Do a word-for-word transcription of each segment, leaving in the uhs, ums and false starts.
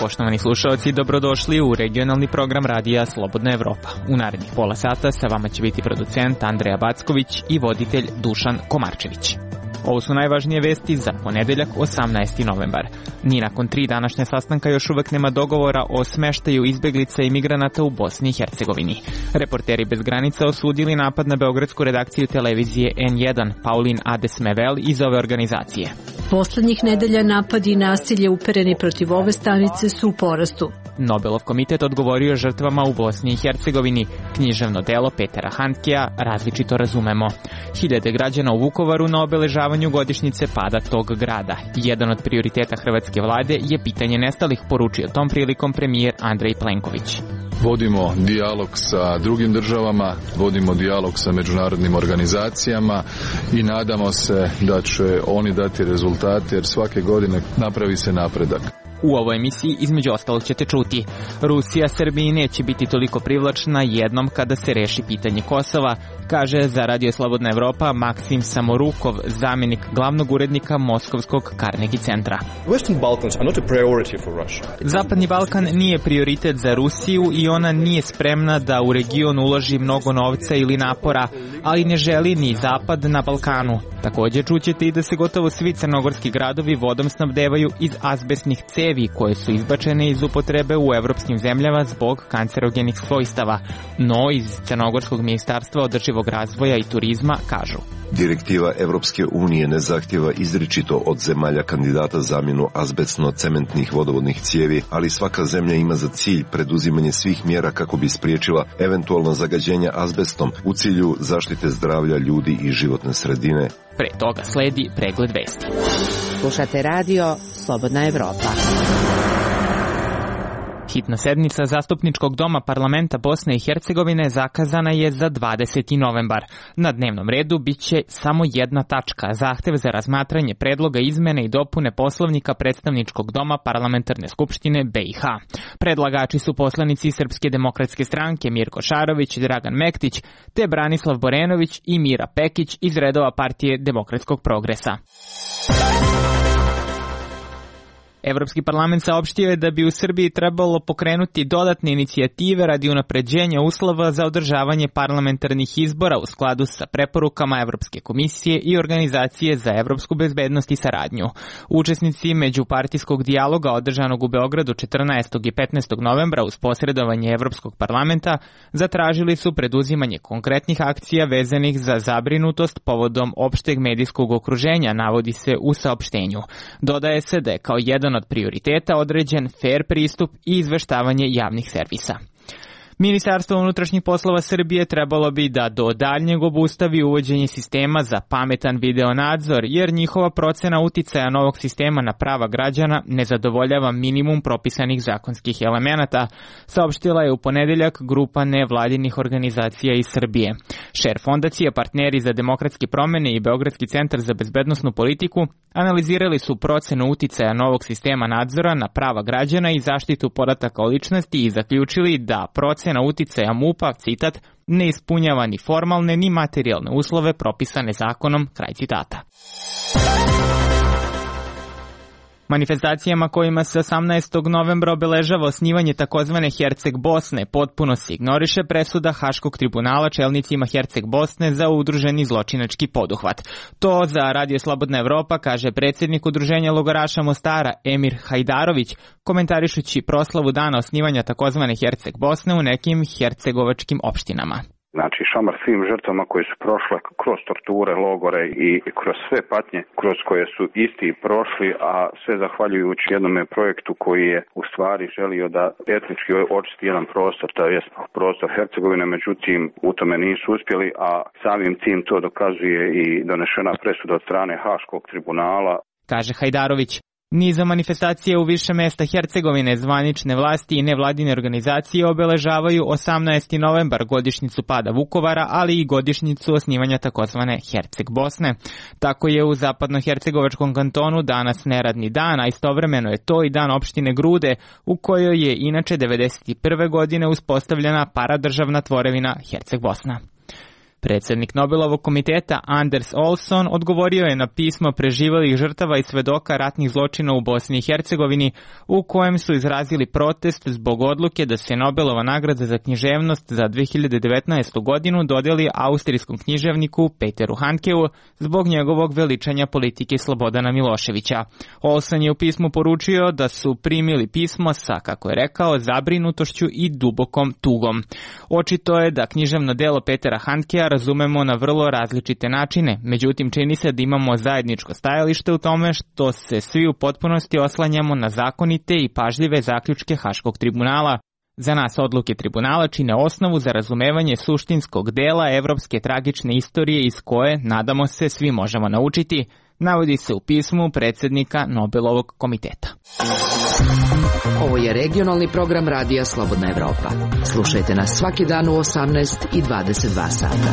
Poštovani slušalci, dobrodošli u regionalni program radija Slobodna Evropa. U narednih pola sata sa vama će biti producent Andreja Backović i voditelj Dušan Komarčević. Ovo su najvažnije vesti za ponedeljak osamnaesti novembar. Ni nakon tri današnja sastanka još uvek nema dogovora o smeštaju izbeglica i migranata u Bosni i Hercegovini. Reporteri bez granica osudili napad na beogradsku redakciju televizije en jedan Paulin Adesmevel iz ove organizacije. Poslednjih nedelja napadi i nasilje upereni protiv ove stanice su u porastu. Nobelov komitet odgovorio žrtvama u Bosni i Hercegovini. Književno delo Petera Handkea Različito razumemo. Hiljade građana u Vukovaru na obeležavanju godišnjice pada tog grada. Jedan od prioriteta hrvatske vlade je pitanje nestalih, poručio tom prilikom premijer Andrej Plenković. Vodimo dijalog sa drugim državama, vodimo dijalog sa međunarodnim organizacijama i nadamo se da će oni dati rezultate, jer svake godine napravi se napredak. U ovoj emisiji između ostalog ćete čuti: Rusija Srbiji neće biti toliko privlačna jednom kada se reši pitanje Kosova, kaže za Radio Slobodna Evropa Maksim Samorukov, zamjenik glavnog urednika Moskovskog Carnegie centra. Zapadni Balkan nije prioritet za Rusiju i ona nije spremna da u region uloži mnogo novca ili napora, ali ne želi ni Zapad na Balkanu. Također čućete i da se gotovo svi crnogorski gradovi vodom snabdevaju iz azbestnih cevi koje su izbačene iz upotrebe u evropskim zemljama zbog kancerogenih svojstava. No, iz Crnogorskog ministarstva održivog razvoja i turizma kažu: Direktiva Evropske unije ne zahtjeva izričito od zemalja kandidata zamjenu azbestno-cementnih vodovodnih cijevi, ali svaka zemlja ima za cilj preduzimanje svih mjera kako bi spriječila eventualno zagađenje azbestom u cilju zaštite zdravlja ljudi i životne sredine. Pre toga sledi pregled vesti. Slušate radio Slobodna Evropa. Hitna sednica Zastupničkog doma parlamenta Bosne i Hercegovine zakazana je za dvadeseti novembar. Na dnevnom redu biće samo jedna tačka, zahtev za razmatranje predloga izmene i dopune Poslovnika Predstavničkog doma Parlamentarne skupštine be i ha. Predlagači su poslanici Srpske demokratske stranke Mirko Šarović, Dragan Mektić, te Branislav Borenović i Mira Pekić iz redova Partije demokratskog progresa. Evropski parlament saopštio je da bi u Srbiji trebalo pokrenuti dodatne inicijative radi unapređenja uslova za održavanje parlamentarnih izbora u skladu sa preporukama Evropske komisije i Organizacije za evropsku bezbednost i saradnju. Učesnici međupartijskog dijaloga održanog u Beogradu četrnaestog i petnaestog novembra uz posredovanje Evropskog parlamenta zatražili su preduzimanje konkretnih akcija vezanih za zabrinutost povodom opšteg medijskog okruženja, navodi se u saopštenju. Dodaje se da je kao jedan od prioriteta određen fair pristup i izveštavanje javnih servisa. Ministarstvo unutrašnjih poslova Srbije trebalo bi da do daljnjeg obustavi uvođenje sistema za pametan video nadzor, jer njihova procena uticaja novog sistema na prava građana ne zadovoljava minimum propisanih zakonskih elemenata, saopštila je u ponedeljak grupa nevladinih organizacija iz Srbije. Šer fondacija, Partneri za demokratske promene i Beogradski centar za bezbednosnu politiku analizirali su procenu uticaja novog sistema nadzora na prava građana i zaštitu podataka o ličnosti i zaključili da procena uticaja MUP-a, citat, ne ispunjava ni formalne ni materijalne uslove propisane zakonom, kraj citata. Manifestacijama kojima se osamnaestog novembra obeležava osnivanje takozvane Herceg Bosne potpuno se ignoriše presuda Haškog tribunala čelnicima Herceg Bosne za udruženi zločinački poduhvat. To za Radio Slobodna Evropa kaže predsjednik udruženja logoraša Mostara Emir Hajdarović, komentarišući proslavu dana osnivanja takozvane Herceg Bosne u nekim hercegovačkim opštinama. Znači, šamar svim žrtvama koje su prošle kroz torture, logore i kroz sve patnje kroz koje su isti prošli, a sve zahvaljujući jednom projektu koji je u stvari želio da etnički očisti jedan prostor, to je prostor Hercegovine, međutim u tome nisu uspjeli, a samim tim to dokazuje i donešena presuda od strane Haškog tribunala. Kaže Hajdarović. Nizom manifestacije u više mesta Hercegovine, zvanične vlasti i nevladine organizacije obeležavaju osamnaesti novembar, godišnjicu pada Vukovara, ali i godišnjicu osnivanja takozvane Herceg Bosne. Tako je u zapadnohercegovačkom kantonu danas neradni dan, a istovremeno je to i dan opštine Grude, u kojoj je inače devedeset prve godine uspostavljena paradržavna tvorevina Herceg Bosna. Predsjednik Nobelovog komiteta Anders Olsson odgovorio je na pismo preživelih žrtava i svedoka ratnih zločina u Bosni i Hercegovini, u kojem su izrazili protest zbog odluke da se Nobelova nagrada za književnost za dve hiljade devetnaestu. godinu dodeli austrijskom književniku Peteru Handkeu zbog njegovog veličanja politike Slobodana Miloševića. Olsson je u pismu poručio da su primili pismo sa, kako je rekao, zabrinutošću i dubokom tugom. Očito je da književno delo Petera Handkea razumemo na vrlo različite načine, međutim čini se da imamo zajedničko stajalište u tome što se svi u potpunosti oslanjamo na zakonite i pažljive zaključke Haškog tribunala. Za nas odluke tribunala čine osnovu za razumevanje suštinskog dela evropske tragične istorije iz koje, nadamo se, svi možemo naučiti, navodi se u pismu predsjednika Nobelovog komiteta. Ovo je regionalni program Radija Slobodna Evropa. Slušajte nas svaki dan u osamnaest i dvadeset dva sata.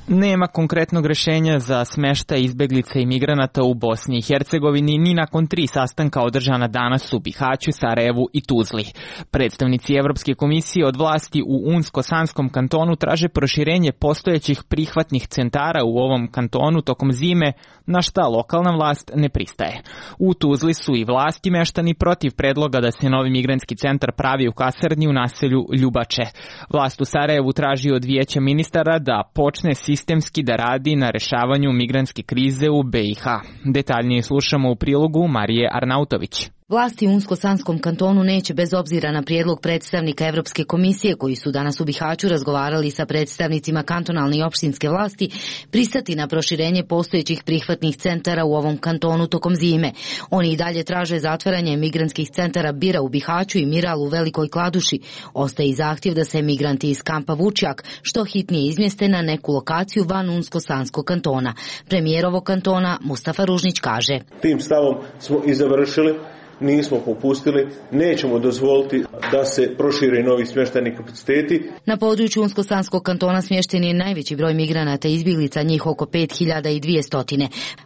Nema konkretnog rješenja za smeštaj izbeglica i migranata u Bosni i Hercegovini ni nakon tri sastanka održana danas u Bihaću, Sarajevu i Tuzli. Predstavnici Evropske komisije od vlasti u Unsko-Sanskom kantonu traže proširenje postojećih prihvatnih centara u ovom kantonu tokom zime, na šta lokalna vlast ne pristaje. U Tuzli su i vlasti meštani protiv predloga da se novi migrantski centar pravi u kasarni u naselju Ljubače. Vlast u Sarajevu traži od vijeća ministara da počne sistemski da radi na rešavanju migrantske krize u B i H. Detaljnije slušamo u prilogu Marije Arnautović. Vlasti u Unsko-Sanskom kantonu neće, bez obzira na prijedlog predstavnika Evropske komisije koji su danas u Bihaću razgovarali sa predstavnicima kantonalne i opštinske vlasti, pristati na proširenje postojećih prihvatnih centara u ovom kantonu tokom zime. Oni i dalje traže zatvaranje migrantskih centara Bira u Bihaću i Miral u Velikoj Kladuši. Ostaje i zahtjev da se migranti iz kampa Vučjak što hitnije izmjeste na neku lokaciju van Unsko-Sanskog kantona. Premijer ovog kantona Mustafa Ružnić kaže: Tim stavom smo i završili. Nismo popustili, nećemo dozvoliti da se prošire novi smještajni kapaciteti. Na području Unsko-Sanskog kantona smješten je najveći broj migranata i izbjeglica, njih oko pet hiljada dvjesto.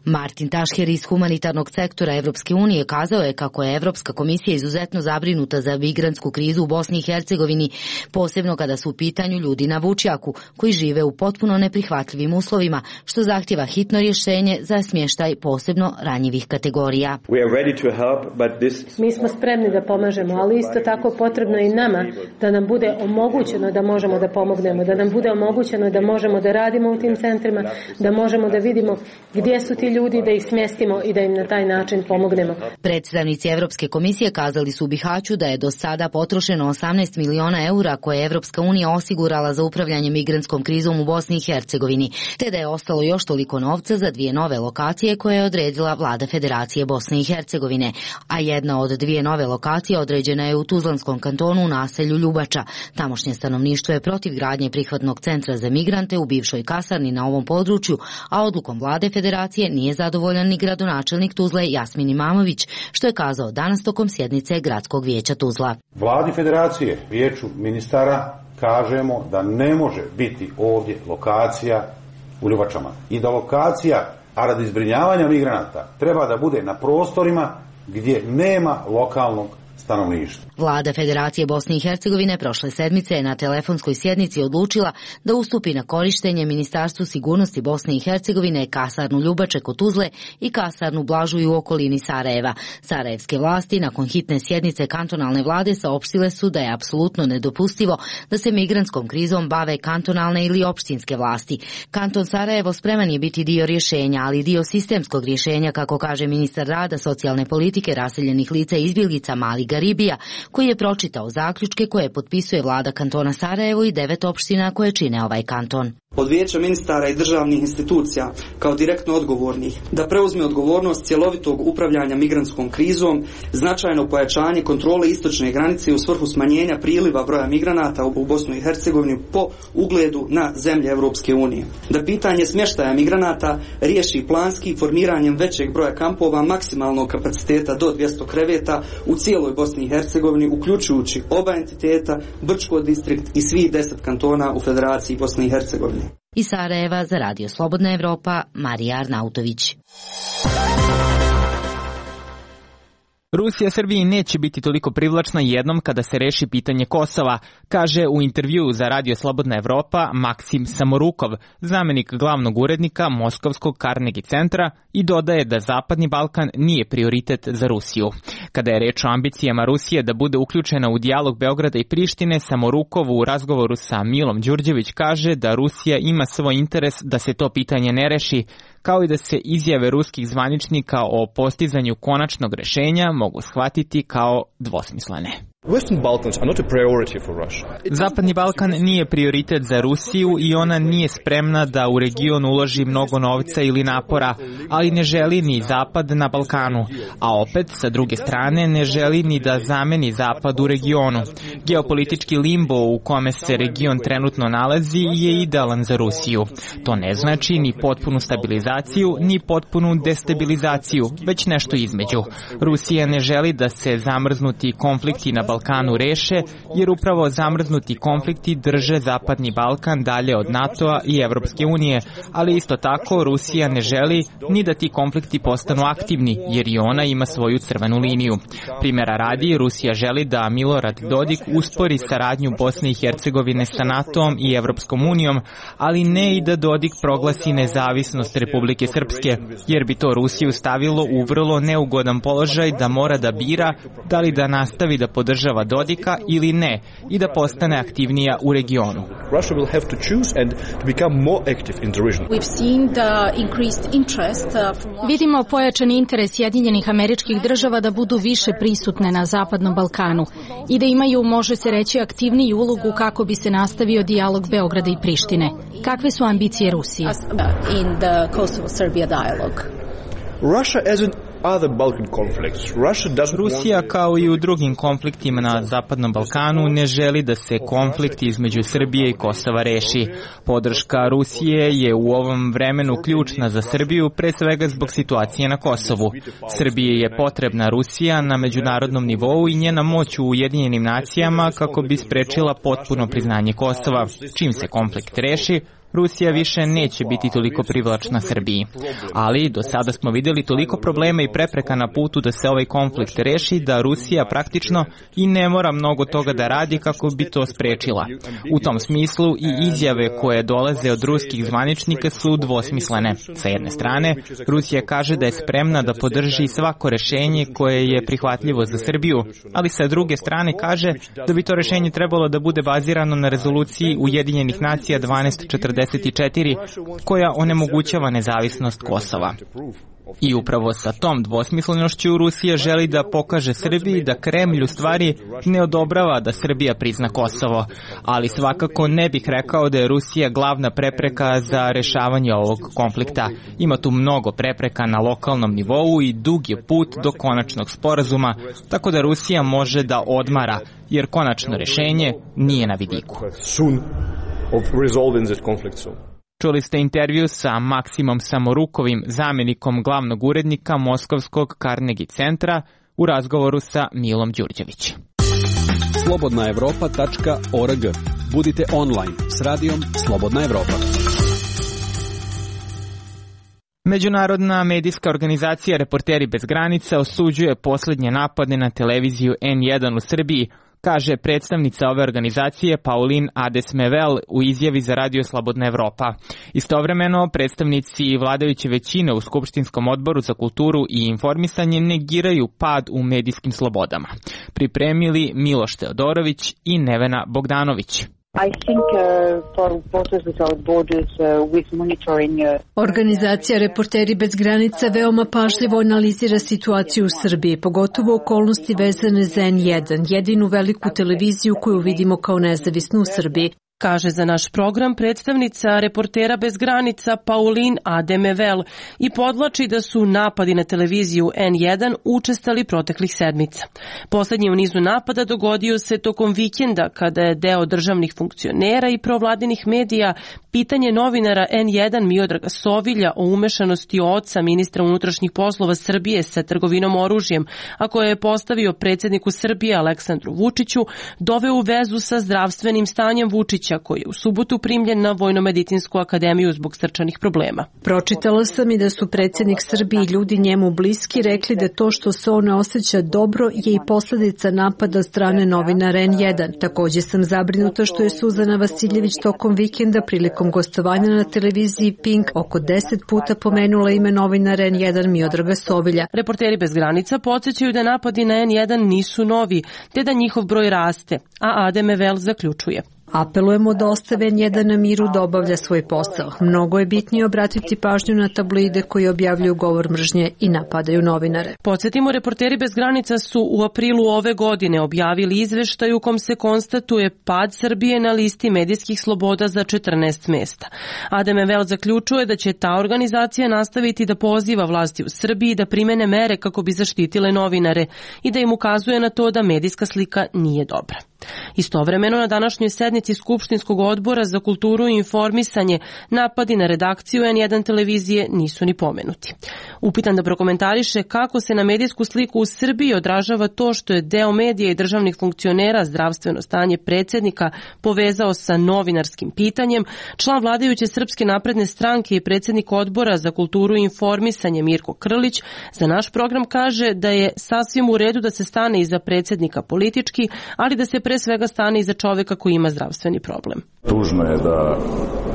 Martin Tašher iz humanitarnog sektora Evropske unije kazao je kako je Evropska komisija izuzetno zabrinuta za migrantsku krizu u Bosni i Hercegovini, posebno kada su u pitanju ljudi na Vučjaku, koji žive u potpuno neprihvatljivim uslovima, što zahtjeva hitno rješenje za smještaj posebno ranjivih kategorija. We are ready to help, but Mi smo spremni da pomažemo, ali isto tako potrebno i nama da nam bude omogućeno da možemo da pomognemo, da nam bude omogućeno da možemo da radimo u tim centrima, da možemo da vidimo gdje su ti ljudi, da ih smjestimo i da im na taj način pomognemo. Predstavnici Evropske komisije kazali su u Bihaću da je do sada potrošeno osamnaest miliona eura koje je Evropska unija osigurala za upravljanje migrantskom krizom u Bosni i Hercegovini, te da je ostalo još toliko novca za dvije nove lokacije koje je odredila vlada Federacije Bosne i Hercegovine, a jedna od dvije nove lokacije određena je u Tuzlanskom kantonu u naselju Ljubača. Tamošnje stanovništvo je protiv gradnje prihvatnog centra za migrante u bivšoj kasarni na ovom području, a odlukom vlade Federacije nije zadovoljan ni gradonačelnik Tuzle Jasmin Imamović, što je kazao danas tokom sjednice Gradskog vijeća Tuzla. Vladi Federacije, vijeću ministara, kažemo da ne može biti ovdje lokacija u Ljubačama i da lokacija, a radi zbrinjavanja migranata, treba da bude na prostorima gdje nema lokalnog stanovništva. Vlada Federacije Bosne i Hercegovine prošle sedmice je na telefonskoj sjednici odlučila da ustupi na korištenje Ministarstvu sigurnosti Bosne i Hercegovine kasarnu Ljubače kod Tuzle i kasarnu Blažuju u okolini Sarajeva. Sarajevske vlasti nakon hitne sjednice kantonalne vlade saopštile su da je apsolutno nedopustivo da se migrantskom krizom bave kantonalne ili opštinske vlasti. Kanton Sarajevo spreman je biti dio rješenja, ali dio sistemskog rješenja, kako kaže ministar rada, socijalne politike, raseljenih lica i izbjeglica Mali Garibija, koji je pročitao zaključke koje potpisuje vlada kantona Sarajevo i devet opština koje čine ovaj kanton. od Vijeća ministara i državnih institucija kao direktno odgovornih da preuzme odgovornost cjelovitog upravljanja migrantskom krizom, značajno pojačanje kontrole istočne granice u svrhu smanjenja priliva broja migranata u Bosnu i Hercegovinu po ugledu na zemlje Europske unije. Da pitanje smještaja migranata riješi planski formiranjem većeg broja kampova maksimalnog kapaciteta do dvjesto kreveta u cijeloj Bosni i Hercegovini, uključujući oba entiteta, Brčko distrikt i svih deset kantona u Federaciji Bosne i Hercegovine. Iz Sarajeva za Radio Slobodna Evropa, Marija Arnautović. Rusija Srbiji neće biti toliko privlačna jednom kada se reši pitanje Kosova, kaže u intervjuu za Radio Slobodna Evropa Maksim Samorukov, zamenik glavnog urednika Moskovskog Carnegie centra, i dodaje da Zapadni Balkan nije prioritet za Rusiju. Kada je reč o ambicijama Rusije da bude uključena u dijalog Beograda i Prištine, Samorukov u razgovoru sa Milom Đurđević kaže da Rusija ima svoj interes da se to pitanje ne reši, kao i da se izjave ruskih zvaničnika o postizanju konačnog rešenja mogu shvatiti kao dvosmislene. Zapadni Balkan nije prioritet za Rusiju i ona nije spremna da u region uloži mnogo novca ili napora, ali ne želi ni Zapad na Balkanu, a opet, sa druge strane, ne želi ni da zameni Zapad u regionu. Geopolitički limbo u kome se region trenutno nalazi je idealan za Rusiju. To ne znači ni potpunu stabilizaciju, ni potpunu destabilizaciju, već nešto između. Rusija ne želi da se zamrznuti konflikti na Balkanu reše, jer upravo zamrznuti konflikti drže Zapadni Balkan dalje od NATO-a i Evropske unije, ali isto tako Rusija ne želi ni da ti konflikti postanu aktivni, jer i ona ima svoju crvenu liniju. Primjera radi, Rusija želi da Milorad Dodik uspori saradnju Bosne i Hercegovine sa NATO-om i Evropskom unijom, ali ne i da Dodik proglasi nezavisnost Republike Srpske, jer bi to Rusiju stavilo u vrlo neugodan položaj da mora da bira da li da nastavi da podržava Dodika ili ne i da postane aktivnija u regionu. Vidimo pojačani interes Sjedinjenih Američkih Država da budu više prisutne na Zapadnom Balkanu i da imaju, može se reći, aktivniju ulogu kako bi se nastavio dijalog Beograda i Prištine. Kakve su ambicije Rusije? Rusija, kao i u drugim konfliktima na Zapadnom Balkanu, ne želi da se konflikt između Srbije i Kosova reši. Podrška Rusije je u ovom vremenu ključna za Srbiju, pre svega zbog situacije na Kosovu. Srbiji je potrebna Rusija na međunarodnom nivou i njena moć u Ujedinjenim nacijama kako bi sprečila potpuno priznanje Kosova. Čim se konflikt reši, Rusija više neće biti toliko privlačna Srbiji. Ali do sada smo vidjeli toliko problema i prepreka na putu da se ovaj konflikt reši da Rusija praktično i ne mora mnogo toga da radi kako bi to sprečila. U tom smislu i izjave koje dolaze od ruskih zvaničnika su dvosmislene. Sa jedne strane, Rusija kaže da je spremna da podrži svako rešenje koje je prihvatljivo za Srbiju, ali sa druge strane kaže da bi to rešenje trebalo da bude bazirano na rezoluciji Ujedinjenih nacija dvanaest četrdeset četiri, koja onemogućava nezavisnost Kosova. I upravo sa tom dvosmislenošću Rusija želi da pokaže Srbiji da Kremlj u stvari ne odobrava da Srbija prizna Kosovo, ali svakako ne bih rekao da je Rusija glavna prepreka za rešavanje ovog konflikta. Ima tu mnogo prepreka na lokalnom nivou i dug je put do konačnog sporazuma, tako da Rusija može da odmara, jer konačno rešenje nije na vidiku. Čuli ste intervju sa Maksimom Samorukovim, zamjenikom glavnog urednika Moskovskog Carnegie centra, u razgovoru sa Milom Đurđević. slobodna evropa tačka org. Budite online s radijom Slobodna Evropa. Međunarodna medijska organizacija Reporteri bez granica osuđuje posljednje napade na televiziju en jedan u Srbiji, kaže predstavnica ove organizacije Paulin Adesmevel u izjavi za Radio Slobodna Evropa. Istovremeno, predstavnici vladajuće većine u Skupštinskom odboru za kulturu i informisanje negiraju pad u medijskim slobodama. Pripremili Miloš Teodorović i Nevena Bogdanović. I think uh, for Reporters Without Borders uh, with monitoring uh... Organizacija Reporteri bez granica veoma pažljivo analizira situaciju u Srbiji, pogotovo okolnosti vezane za en jedan, jedinu veliku televiziju koju vidimo kao nezavisnu u Srbiji. kaže za naš program predstavnica Reportera bez granica Pauline Ademevel i podvlači da su napadi na televiziju en jedan učestali proteklih sedmica. Poslednji u nizu napada dogodio se tokom vikenda kada je deo državnih funkcionera i provladinih medija pitanje novinara en jedan Miodraga Sovilja o umešanosti oca ministra unutrašnjih poslova Srbije sa trgovinom oružjem, a koje je postavio predsjedniku Srbije Aleksandru Vučiću, doveo u vezu sa zdravstvenim stanjem Vučića, koji je u subotu primljen na Vojno-medicinsku akademiju zbog srčanih problema. Pročitala sam i da su predsjednik Srbije i ljudi njemu bliski rekli da to što se on ne osjeća dobro je i posljedica napada strane novinara en jedan. Također sam zabrinuta što je Suzana Vasiljević tokom vikenda prilikom gostovanja na televiziji Pink oko deset puta pomenula ime novinara en jedan Miodraga Sovilja. Reporteri bez granica podsjećaju da napadi na en jedan nisu novi, te da njihov broj raste, a Ademevel zaključuje. Apelujemo da ostave en jedan na miru da obavlja svoj posao. Mnogo je bitnije obratiti pažnju na tabloide koji objavljuju govor mržnje i napadaju novinare. Podsjetimo, Reporteri bez granica su u aprilu ove godine objavili izveštaj u kom se konstatuje pad Srbije na listi medijskih sloboda za četrnaest mesta. Ademevel zaključuje da će ta organizacija nastaviti da poziva vlasti u Srbiji da primene mere kako bi zaštitile novinare i da im ukazuje na to da medijska slika nije dobra. Istovremeno na današnjoj sednici Skupštinskog odbora za kulturu i informisanje napadi na redakciju en jedan televizije nisu ni pomenuti. Upitan da prokomentariše kako se na medijsku sliku u Srbiji odražava to što je deo medija i državnih funkcionera zdravstveno stanje predsjednika povezao sa novinarskim pitanjem, član vladajuće Srpske napredne stranke i predsjednik odbora za kulturu i informisanje Mirko Krlić za naš program kaže da je sasvim u redu da se stane iza predsjednika politički, ali da se pre svega stane iza čoveka koji ima zdravstveni problem. Tužno je da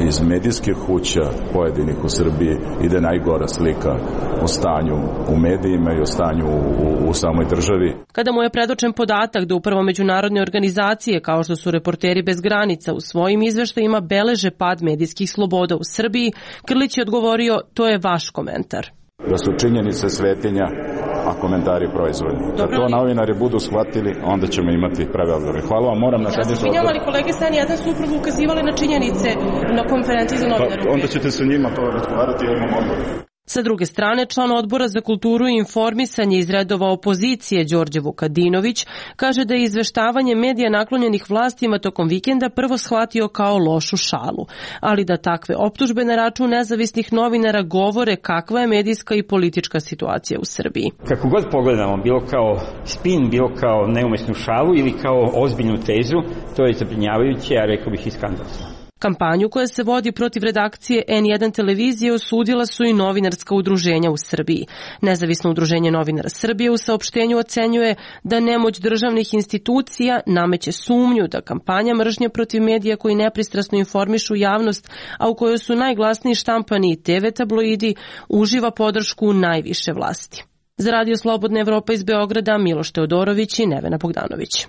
iz medijskih kuća pojedinih u Srbiji ide najgora slika o stanju u medijima i o stanju u, u, u samoj državi. Kada mu je predočen podatak da upravo međunarodne organizacije kao što su Reporteri bez granica u svojim izveštajima beleže pad medijskih sloboda u Srbiji, Krlić je odgovorio: to je vaš komentar. Da su činjenice svetinja, a komentari proizvoljni. Da to novinari budu shvatili, onda ćemo imati prave odgovore. Hvala vam, moram na sednicu. Ja sam pinjala, ali kolege Stan jedan su upravo ukazivali na činjenice na konferenciji za novinare. Pa, onda ćete sa njima to razgovarati jednom odboru. Sa druge strane, član odbora za kulturu i informisanje iz redova opozicije Đorđe Vukadinović kaže da je izveštavanje medija naklonjenih vlastima tokom vikenda prvo shvatio kao lošu šalu, ali da takve optužbe na račun nezavisnih novinara govore kakva je medijska i politička situacija u Srbiji. Kako god pogledamo, bilo kao spin, bilo kao neumesnu šalu ili kao ozbiljnu tezu, to je zabrinjavajuće, a rekao bih i skandalozno. Kampanju koja se vodi protiv redakcije en jedan televizije osudila su i novinarska udruženja u Srbiji. Nezavisno udruženje novinara Srbije u saopštenju ocenjuje da nemoć državnih institucija nameće sumnju da kampanja mržnje protiv medija koji nepristrasno informišu javnost, a u kojoj su najglasniji štampani i te ve tabloidi, uživa podršku najviše vlasti. Za Radio Slobodna Evropa iz Beograda, Miloš Teodorović i Nevena Bogdanović.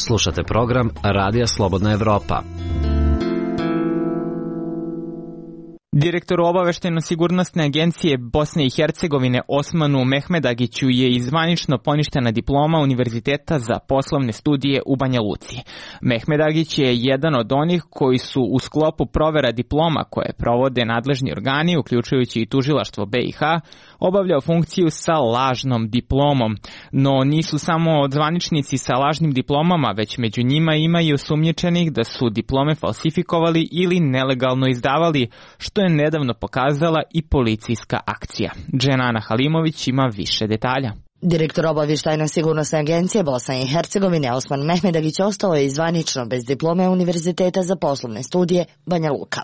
Slušate program Radija Slobodna Evropa. Direktor obaveštajno-sigurnosne agencije Bosne i Hercegovine Osmanu Mehmedagiću je izvanično poništena diploma Univerziteta za poslovne studije u Banja Luci. Mehmedagić je jedan od onih koji su u sklopu provera diploma koje provode nadležni organi, uključujući i tužilaštvo be i ha, obavljao funkciju sa lažnom diplomom. No nisu samo zvaničnici sa lažnim diplomama, već među njima ima i osumnjičenih da su diplome falsifikovali ili nelegalno izdavali, što je nedavno pokazala i policijska akcija. Dženana Halimović ima više detalja. Direktor obavještajno-sigurnosne agencije Bosne i Hercegovine Osman Mehmedagić ostao je izvanično bez diplome Univerziteta za poslovne studije Banja Luka.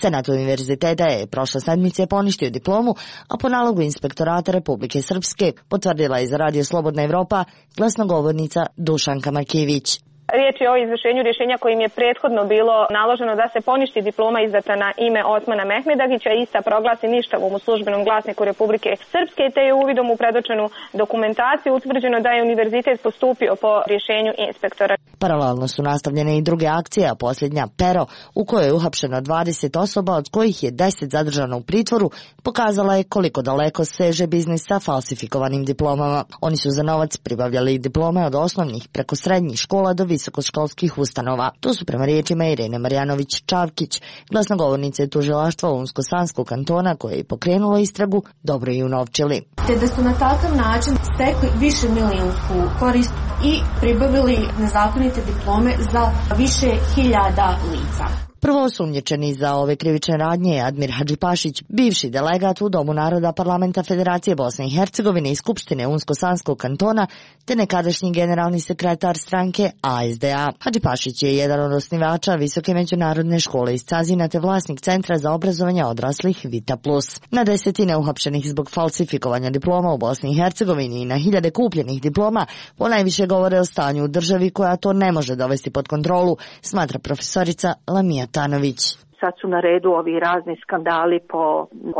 Senat univerziteta je prošle sedmice poništio diplomu, a po nalogu Inspektorata Republike Srpske potvrdila je za Radio Slobodna Evropa glasnogovornica Dušanka Makijević. Riječ je o izvršenju rješenja kojim je prethodno bilo naloženo da se poništi diploma izdata na ime Osmana Mehmedagića i ista proglasi ništavom u službenom glasniku Republike Srpske, te je uvidom u predočenu dokumentaciju utvrđeno da je univerzitet postupio po rješenju inspektora. Paralelno su nastavljene i druge akcije, a posljednja Pero, u kojoj je uhapšeno dvadeset osoba, od kojih je deset zadržano u pritvoru, pokazala je koliko daleko seže biznis sa falsifikovanim diplomama. Oni su za novac pribavljali diplome od osnovnih preko srednjih škola do visokoškolskih ustanova. To su prema riječima Irene Marjanović-Čavkić, glasnogovornice tužilaštva Unsko-Sanskog kantona koje je pokrenulo istragu, dobro i unovčili. Te da su na takav način stekli više milionsku korist i pribavili nezakonite diplome za više hiljada lica. Prvo osumnjičeni za ove krivične radnje je Admir Hadžipašić, bivši delegat u Domu naroda Parlamenta Federacije Bosne i Hercegovine i Skupštine Unsko-Sanskog kantona, te nekadašnji generalni sekretar stranke A S D A. Hadžipašić je jedan od osnivača Visoke međunarodne škole iz Cazina te vlasnik Centra za obrazovanje odraslih Vita Plus. Na desetine uhapšenih zbog falsifikovanja diploma u Bosni i Hercegovini i na hiljade kupljenih diploma ponajviše govore o stanju u državi koja to ne može dovesti pod kontrolu, smatra profesorica Lamija Tanović. Sad su na redu ovi razni skandali po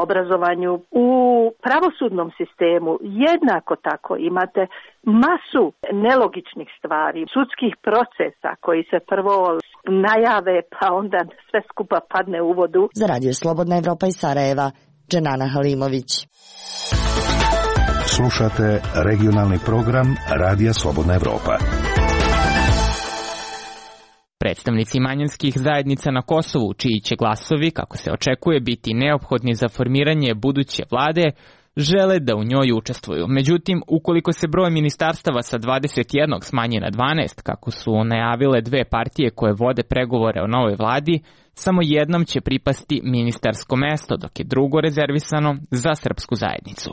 obrazovanju. U pravosudnom sistemu jednako tako imate masu nelogičnih stvari, sudskih procesa koji se prvo najave pa onda sve skupa padne u vodu. Za Radio Slobodna Evropa iz Sarajeva, Dženana Halimović. Slušate regionalni program Radija Slobodna Evropa. Predstavnici manjinskih zajednica na Kosovu, čiji će glasovi, kako se očekuje, biti neophodni za formiranje buduće vlade, žele da u njoj učestvuju. Međutim, ukoliko se broj ministarstava sa dvadeset jedan smanji na dvanaest, kako su najavile dve partije koje vode pregovore o novoj vladi, samo jednom će pripasti ministarsko mesto, dok je drugo rezervisano za srpsku zajednicu.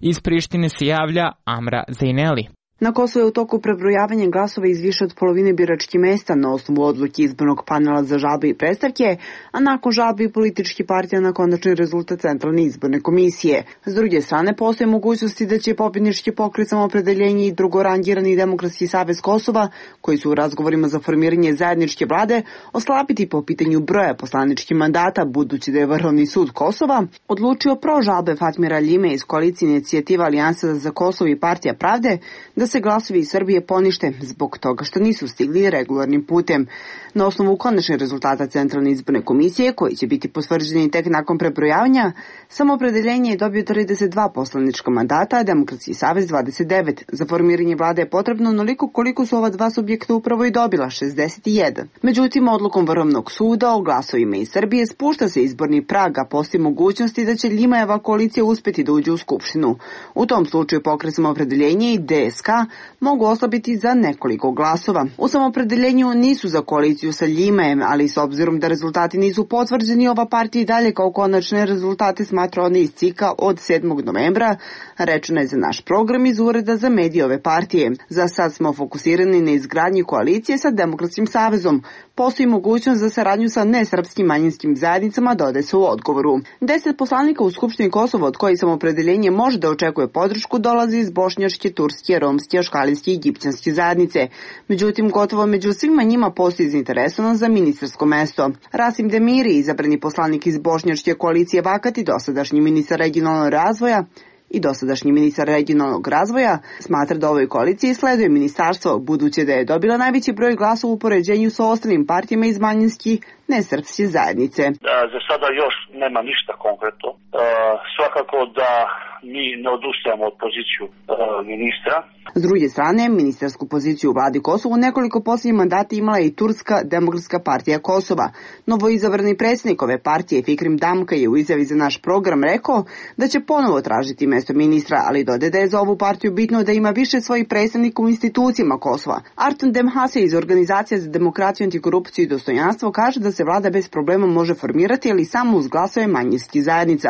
Iz Prištine se javlja Amra Zejneli. Na Kosovu je u toku prebrojavanja glasova iz više od polovine biračkih mesta na osnovu odluke izbornog panela za žalbe i predstavke, a nakon žalbe i političkih partija na konačni rezultat Centralne izborne komisije. S druge strane, postoje mogućnosti da će pobjednički pokret Samoopredeljenje i drugorangirani Demokratski savez Kosova, koji su u razgovorima za formiranje zajedničke vlade, oslabiti po pitanju broja poslaničkih mandata, budući da je Vrhovni sud Kosova odlučio pro žalbe Fatmira Ljime iz koalicije Inicijativa Alijansa za Kosovo i Partija Pravde da se glasovi iz Srbije ponište zbog toga što nisu stigli regularnim putem. Na osnovu konačnih rezultata Centralne izborne komisije, koji će biti potvrđeni tek nakon prebrojavanja, Samoopredeljenje je dobio trideset dva poslanička mandata, a Demokratski savez dvadeset devet. Za formiranje vlade je potrebno onoliko koliko su ova dva subjekta upravo i dobila, šezdeset jedan. Međutim, odlukom Vrhovnog suda o glasovima iz Srbije spušta se izborni prag, a postoji mogućnosti da će Ljimajeva koalicija uspeti da uđe u Skupštinu. U tom slučaju pokret Samoopredeljenje i D S K mogu oslabiti za nekoliko glasova. U Samoopredeljenju nisu za koaliciju sa Ljimajem, ali s obzirom da rezultati nisu potvrđeni, ova partija i dalje kao konačne rezultate smatra one iz C I K-a od sedmog novembra, rečeno je za naš program iz Ureda za medije ove partije. Za sad smo fokusirani na izgradnji koalicije sa Demokratskim savezom. Postoji mogućnost za saradnju sa nesrpskim manjinskim zajednicama, dodaje se u odgovoru. Deset poslanika u Skupštini Kosova, od kojih Samoopredeljenje može da očekuje podršku, dolazi iz bošnjačke, turske, romske, aškalijske i egipćanske zajednice. Međutim, gotovo među svima njima postoji zainteresovan za ministarsko mesto. Rasim Demiri, izabrani poslanik iz bošnjačke koalicije Vakati, dosadašnji ministar regionalnog razvoja, i dosadašnji ministar regionalnog razvoja, smatra da ovoj koaliciji sleduje ministarstvo, budući da je dobila najveći broj glasova u poređenju sa ostalim partijama iz manjinskih nesrpske zajednice. Za sada još nema ništa konkretno. E, svakako da mi ne odustajemo od poziciju e, ministra. S druge strane, ministarsku poziciju u vladi Kosova u nekoliko posljednjih mandata imala je i Turska demokratska partija Kosova. Novoizabrani predsjednik ove partije Fikrim Damka je u izjavi za naš program rekao da će ponovo tražiti mesto ministra, ali dodaje da je za ovu partiju bitno da ima više svojih predstavnika u institucijama Kosova. Artan Demhase iz Organizacije za demokraciju, antikorupciju i dostojanstvo kaže da se vlada bez problema može formirati, ali samo uz glasove manjinskih zajednica.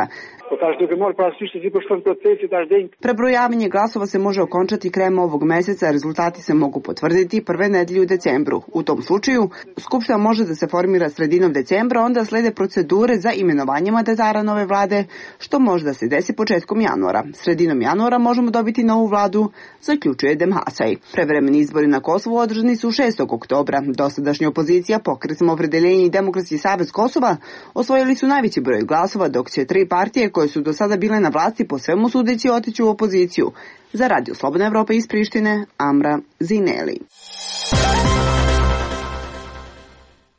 Prebrojavanje glasova se može okončati krajem ovog meseca, a rezultati se mogu potvrditi prve nedelje u decembru. U tom slučaju, Skupština može da se formira sredinom decembra, onda slede procedure za imenovanje mandatara nove vlade, što može da se desi početkom januara. Sredinom januara možemo dobiti novu vladu, zaključuje Demhasaj. Prevremeni izbori na Kosovu održani su šestog oktobra. Dosadašnja opozicija, Pokret Samoopredeljenje i Demokratski savez Kosova osvojili su najveći broj glasova, dok će tri partije koje su do sada bile na vlasti po svemu sudeći otići u opoziciju. Za Radio Slobodna Evropa iz Prištine, Amra Zineli.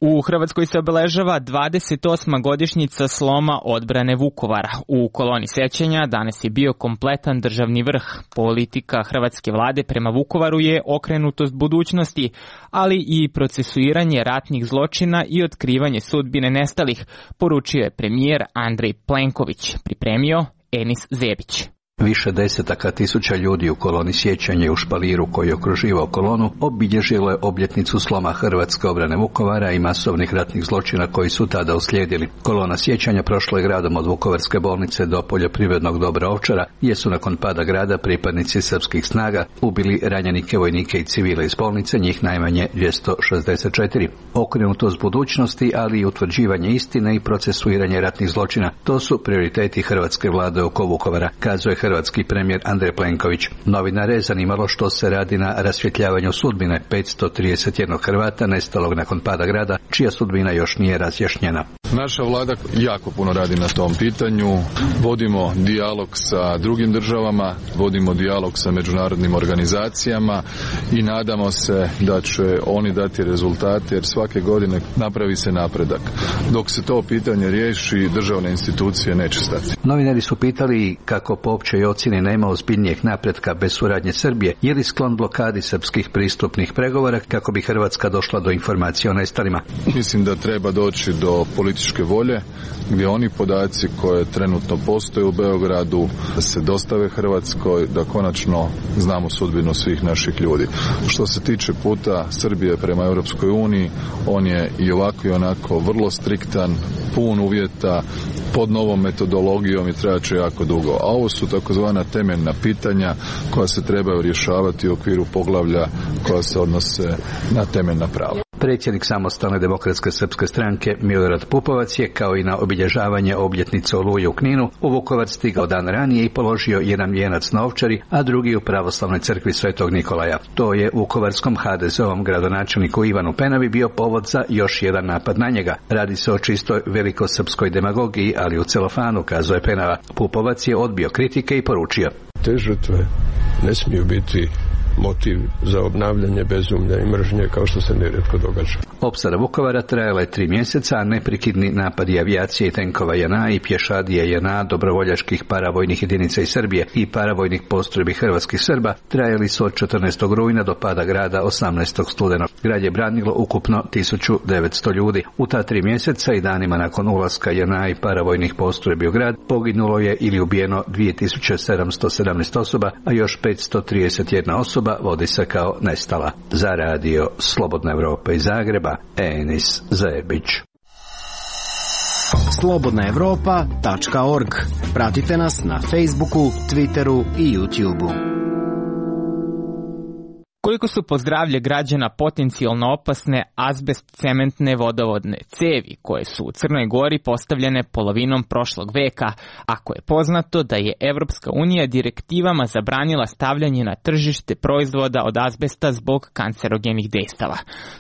U Hrvatskoj se obeležava dvadeset osma godišnjica sloma odbrane Vukovara. U koloni sećanja danas je bio kompletan državni vrh. Politika hrvatske vlade prema Vukovaru je okrenutost budućnosti, ali i procesuiranje ratnih zločina i otkrivanje sudbine nestalih, poručio je premijer Andrej Plenković, pripremio Enis Zebić. Više desetaka tisuća ljudi u koloni sjećanja u Špaliru koji je okruživao kolonu obilježilo je obljetnicu sloma hrvatske obrane Vukovara i masovnih ratnih zločina koji su tada uslijedili. Kolona sjećanja prošla je gradom od Vukovarske bolnice do poljoprivrednog dobra Ovčara, gdje su nakon pada grada pripadnici srpskih snaga ubili ranjenike, vojnike i civile iz bolnice, njih najmanje dvjesto šezdeset četiri. Okrenutost budućnosti, ali i utvrđivanje istine i procesuiranje ratnih zločina, to su prioriteti hrvatske vlade oko Vukovara, kazuje hrvatski premijer Andrej Plenković. Novinare je zanimalo što se radi na rasvjetljavanju sudbine petsto trideset jedan Hrvata nestalog nakon pada grada, čija sudbina još nije razjašnjena. Naša vlada jako puno radi na tom pitanju. Vodimo dijalog sa drugim državama, vodimo dijalog sa međunarodnim organizacijama i nadamo se da će oni dati rezultate, jer svake godine napravi se napredak. Dok se to pitanje riješi, državne institucije neće stati. Novinari su pitali kako po općoj ocjeni nema ozbiljnijeg napretka bez suradnje Srbije, je li sklon blokadi srpskih pristupnih pregovora kako bi Hrvatska došla do informacija o nestalima. Mislim da treba doći do političke volje, gdje oni podaci koje trenutno postoje u Beogradu da se dostave Hrvatskoj, da konačno znamo sudbinu svih naših ljudi. Što se tiče puta Srbije prema Europskoj uniji, on je i ovako i onako vrlo striktan, pun uvjeta, pod novom metodologijom i trebat će jako dugo. A ovo su takozvana temeljna pitanja koja se trebaju rješavati u okviru poglavlja koja se odnose na temeljna prava. Predsjednik Samostalne demokratske srpske stranke Milorad Pupovac je, kao i na obilježavanje obljetnice Oluje u Kninu, u Vukovar stigao dan ranije i položio jedan vijenac na Ovčari, a drugi u pravoslavnoj crkvi Svetog Nikolaja. To je vukovarskom ha de ze ovom gradonačelniku Ivanu Penavi bio povod za još jedan napad na njega. Radi se o čistoj velikosrpskoj demagogiji, ali u celofanu, kazuje Penava. Pupovac je odbio kritike i poručio: te žrtve ne smiju biti motiv za obnavljanje bezumlja i mržnje kao što se nerijetko događa. Opsada Vukovara trajala je tri mjeseca, a neprekidni napadi avijacije i tenkova J N A i pješadije J N A, dobrovoljačkih paravojnih jedinica iz Srbije i paravojnih postrojbi hrvatskih Srba trajali su od četrnaestog rujna do pada grada osamnaestog studenog. Grad je branilo ukupno tisuću devetsto ljudi. U ta tri mjeseca i danima nakon ulaska J N A i paravojnih postrojbi u grad poginulo je ili ubijeno dvije tisuće sedamsto sedamnaest osoba, a još petsto trideset jedna osoba vodi se kao nestala. Za radio Slobodna Evropa iz Zagreba, Enis Zebić. slobodna evropa tačka org. Pratite nas na Facebooku, Twitteru i YouTubeu. Koliko su po zdravlje građana potencijalno opasne azbest cementne vodovodne cevi koje su u Crnoj Gori postavljene polovinom prošlog veka, ako je poznato da je Evropska unija direktivama zabranila stavljanje na tržište proizvoda od azbesta zbog kancerogenih dejstava.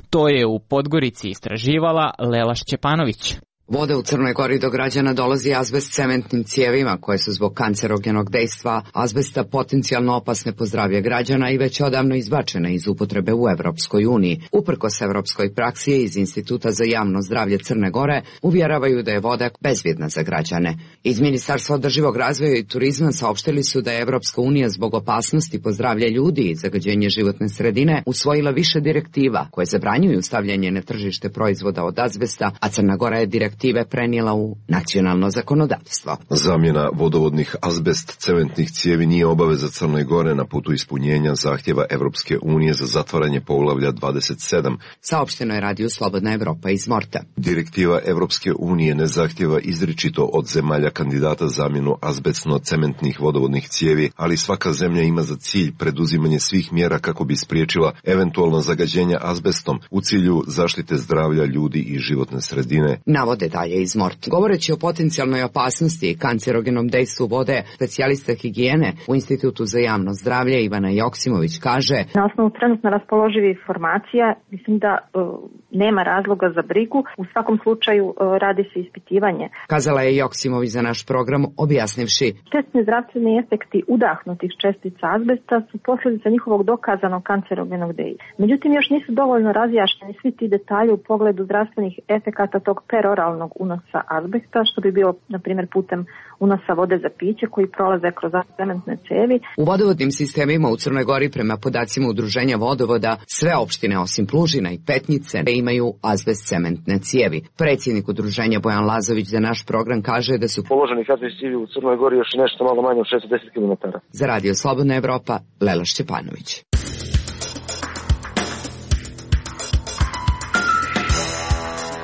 To je u Podgorici istraživala Lela Šćepanović. Voda u Crnoj Gori do građana dolazi azbest cementnim cijevima koje su zbog kancerogenog dejstva azbesta potencijalno opasne po zdravlje građana i već odavno izbačene iz upotrebe u Evropskoj uniji. Uprkos evropskoj praksi iz Instituta za javno zdravlje Crne Gore uvjeravaju da je voda bezbjedna za građane. Iz Ministarstva održivog razvoja i turizma saopštili su da je Evropska unija zbog opasnosti po zdravlje ljudi i zagađenje životne sredine usvojila više direktiva koje zabranjuju stavljanje na tržište proizvoda od azbesta, a Crna Gora je direktive prenijela u nacionalno zakonodavstvo. Zamjena vodovodnih azbest cementnih cijevi nije obaveza Crne Gore na putu ispunjenja zahtjeva Evropske unije za zatvaranje poglavlja dvadeset sedam. Saopšteno je radiju Slobodna Evropa iz Morta. Direktiva Evropske unije ne zahtjeva izričito od zemalja kandidata zamjenu azbestno-cementnih vodovodnih cijevi, ali svaka zemlja ima za cilj preduzimanje svih mjera kako bi spriječila eventualno zagađenje azbestom u cilju zaštite zdravlja ljudi i životne sredine. Navode dalje iz Mort. Govoreći o potencijalnoj opasnosti i kancerogenom dejstvu vode, specijalista higijene u Institutu za javno zdravlje Ivana Joksimović kaže: na osnovu trenutno raspoloživih informacija, mislim da uh, nema razloga za brigu. U svakom slučaju radi se ispitivanje. Kazala je Joksimović za naš program, objasnivši. Štetni zdravstveni efekti udahnutih čestica azbesta su posljedica njihovog dokazanog kancerogenog dejstva. Međutim, još nisu dovoljno razjašnjeni svi ti detalji u pogledu zdravstvenih efekata tog peroralnog unosa azbesta, što bi bio, na primjer, putem unosa vode za piće koji prolaze kroz cementne cevi. U vodovodnim sistemima u Crnoj Gori, prema podacima Udruženja vodovoda, sve opštine osim Plužina i Petnice imaju azbest cementne cijevi. Predsjednik Udruženja Bojan Lazović za naš program kaže da su položeni azbest cijevi u Crnoj Gori još nešto malo manje od šesto deset kilometara. Za Radio Slobodna Evropa, Lela Šćepanović.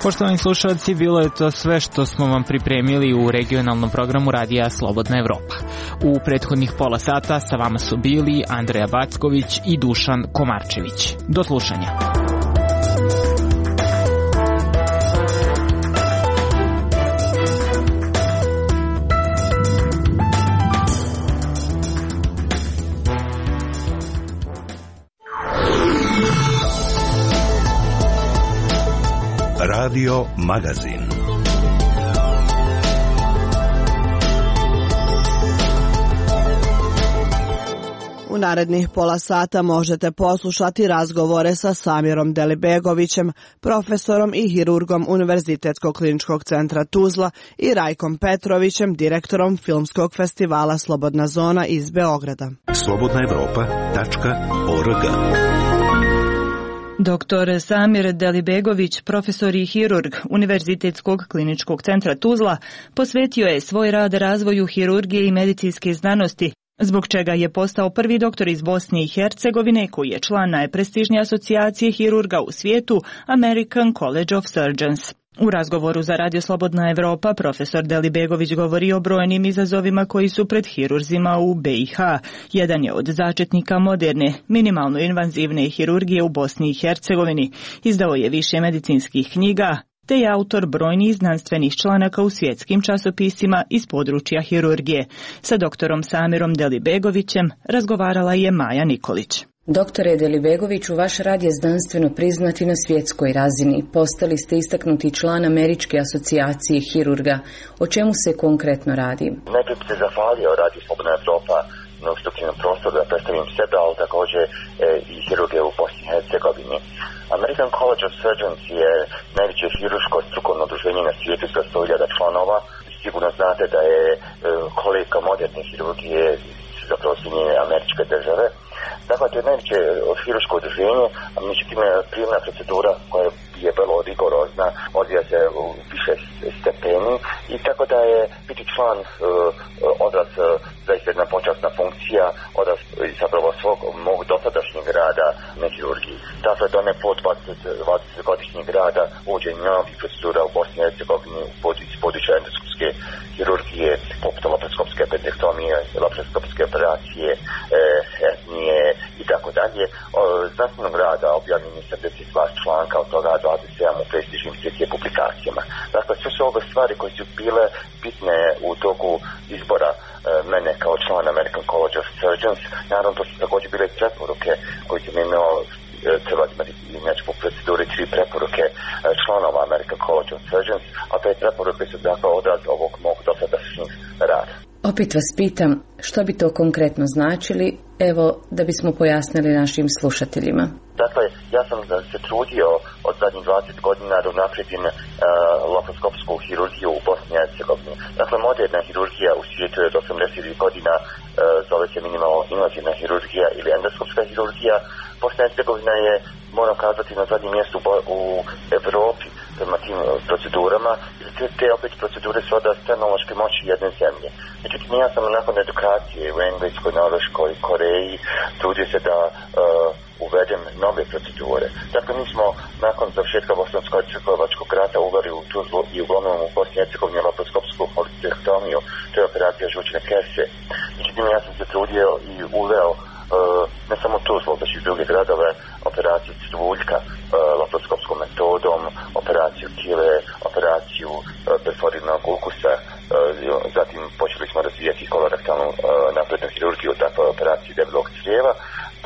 Poštovani slušalci, bilo je to sve što smo vam pripremili u regionalnom programu Radija Slobodna Evropa. U prethodnih pola sata sa vama su bili Andreja Backović i Dušan Komarčević. Do slušanja. Radio Magazin. U narednih pola sata možete poslušati razgovore sa Samirom Delibegovićem, profesorom i hirurgom Univerzitetskog kliničkog centra Tuzla i Rajkom Petrovićem, direktorom Filmskog festivala Slobodna zona iz Beograda. slobodna evropa tačka org. Doktor Samir Delibegović, profesor i hirurg Univerzitetskog kliničkog centra Tuzla, posvetio je svoj rad razvoju hirurgije i medicinske znanosti, zbog čega je postao prvi doktor iz Bosne i Hercegovine koji je član najprestižnije asocijacije hirurga u svijetu, American College of Surgeons. U razgovoru za Radio Slobodna Evropa profesor Delibegović govori o brojnim izazovima koji su pred hirurzima u B i H. Jedan je od začetnika moderne, minimalno invazivne hirurgije u Bosni i Hercegovini. Izdao je više medicinskih knjiga, te je autor brojnih znanstvenih članaka u svjetskim časopisima iz područja hirurgije. Sa doktorom Samirom Delibegovićem razgovarala je Maja Nikolić. Doktore Delibegoviću, vaš rad je znanstveno priznat i na svjetskoj razini. Postali ste istaknuti član Američke asocijacije hirurga. O čemu se konkretno radi? Najprije bih se zahvalio Radio Slobodna Evropa na ustupljenom prostoru da predstavim sebe, ali također e, i hirurge u Bosni i Hercegovini. American College of Surgeons je najveće hirurško strukovno udruženje na svijetu sa sto hiljada članova. Sigurno znate da je e, kolegija moderne hirurgije zapravo Sjedinjene Američke Države. Dakle, to je najveće hirurško udruženje, a međutim prijemna procedura koja je vrlo rigorozna, odvija se u više stepeni i tako da je biti član uh, odraz uh, zaista jedna počasna funkcija, odraz zapravo svog mog dosadašnjeg rada na hirurgiji. Dakle, da ne po dvadeset godišnjeg rada uvođenje novih procedura u Bosni i Hercegovini iz područja endoskopske hirurgije, poput laparoskopske appendektomije, laparoskopske operacije, hernije i tako dalje. Znanstvenog rada objavljeno je sedamdeset dva članka, od toga dvadeset sedam u prestižnim svjetskim publikacijama. Dakle, sve su ove stvari koje su bile bitne u toku izbora mene kao član American College of Surgeons. Naravno, to su također bile preporuke koje sam imao, treba imati inače po proceduri tri preporuke članova American College of Surgeons, a te preporuke su dakle odraz ovog mog dosadašnjeg rada. Opet vas pitam, što bi to konkretno značili, evo da bismo pojasnili našim slušateljima. Dakle, ja sam se trudio od zadnjih dvadeset godina da unaprijedim uh, laparoskopsku hirurgiju u Bosni i Hercegovini. Dakle, moderna hirurgija u svijetu je od osamdesetih godina, uh, zove se minimalno invazivna hirurgija ili endoskopska hirurgija. Bosna i Hercegovina je, moram kazati, na zadnjem mjestu u Evropi prema tim procedurama. Te, te opet procedure su odraz tehnološke moći jedne zemlje. Međutim, ja sam nakon edukacije u Engleskoj, Norveškoj, Koreji trudio se da uh, uvedem nove procedure. Dakle, mi smo nakon završetka Bosansko-hercegovačkog rata uveli u Tuzlu i uglavnom u Bosni i Hercegovini laparoskopsku appendektomiju, to je operacija žučne kese. Međutim, ja sam se trudio i uveo Uh, ne samo Tuzlu, već i druge gradove, operaciju crvuljka uh, laparoskopskom metodom, operaciju kile, operaciju uh, perforirnog ulkusa, uh, zatim počeli smo razvijati kolorektalnu uh, naprednu hirurgiju, dakle operaciju debelog crijeva.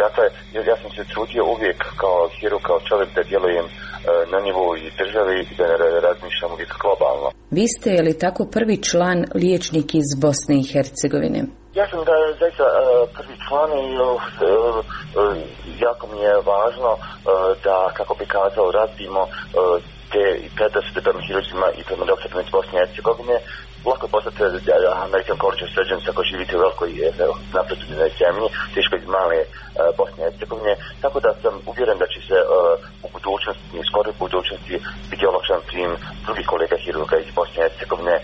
Dakle, ja sam se trudio uvijek kao hirurg, kao čovjek da djelujem uh, na nivou i države i da razmišljamo uvijek globalno. Vi ste je li tako prvi član liječnik iz Bosne i Hercegovine? Ja sam da zaista prvi član i jako mi je važno da, kako bi kazao, razbimo te predrasude prema hirurzima i prema doktorima iz Bosne i Hercegovine. Lako je postati American College of Surgeons ako živite u velikoj naprednoj zemlji, teško iz male Bosne i Hercegovine, tako da sam uvjeren da će se u budućnosti, u skoroj budućnosti biti olakšan prijem drugih kolega hirurga iz Bosne i Hercegovine.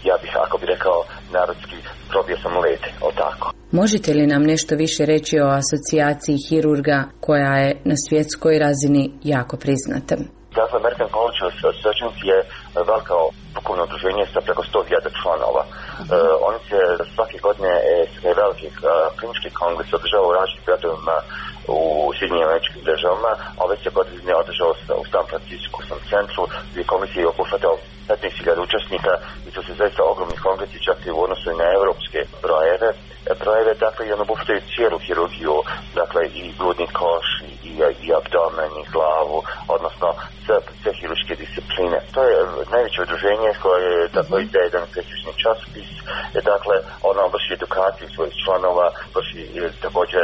Ja bih, ako bi rekao narodski, probio sam led, o tako. Možete li nam nešto više reći o asocijaciji hirurga koja je na svjetskoj razini jako priznata? Dakle, American College of Surgeons je veliko duhovno udruženje sa preko sto hiljada članova. Uh-huh. Uh, oni se svake godine e, veliki uh, klinički kongres održava u različitim gradovima u Sjedinjenim Američkim Državama, a već se godine održao u San Francisco centru gdje komisija je obuhvatao petnaest hiljada učesnika i to su zaista ogromni kongresi čak i u odnosu na evropske brojeve. brojeve, dakle, i on obuhvataju cijelu hirurgiju, dakle, i grudni koš, i, i, i abdomen, i glavu, odnosno sve, sve hirurške discipline. To je najveće udruženje koje, dakle, ide jedan prestižni časopis, dakle, ono vrši edukaciju svojih članova, vrši također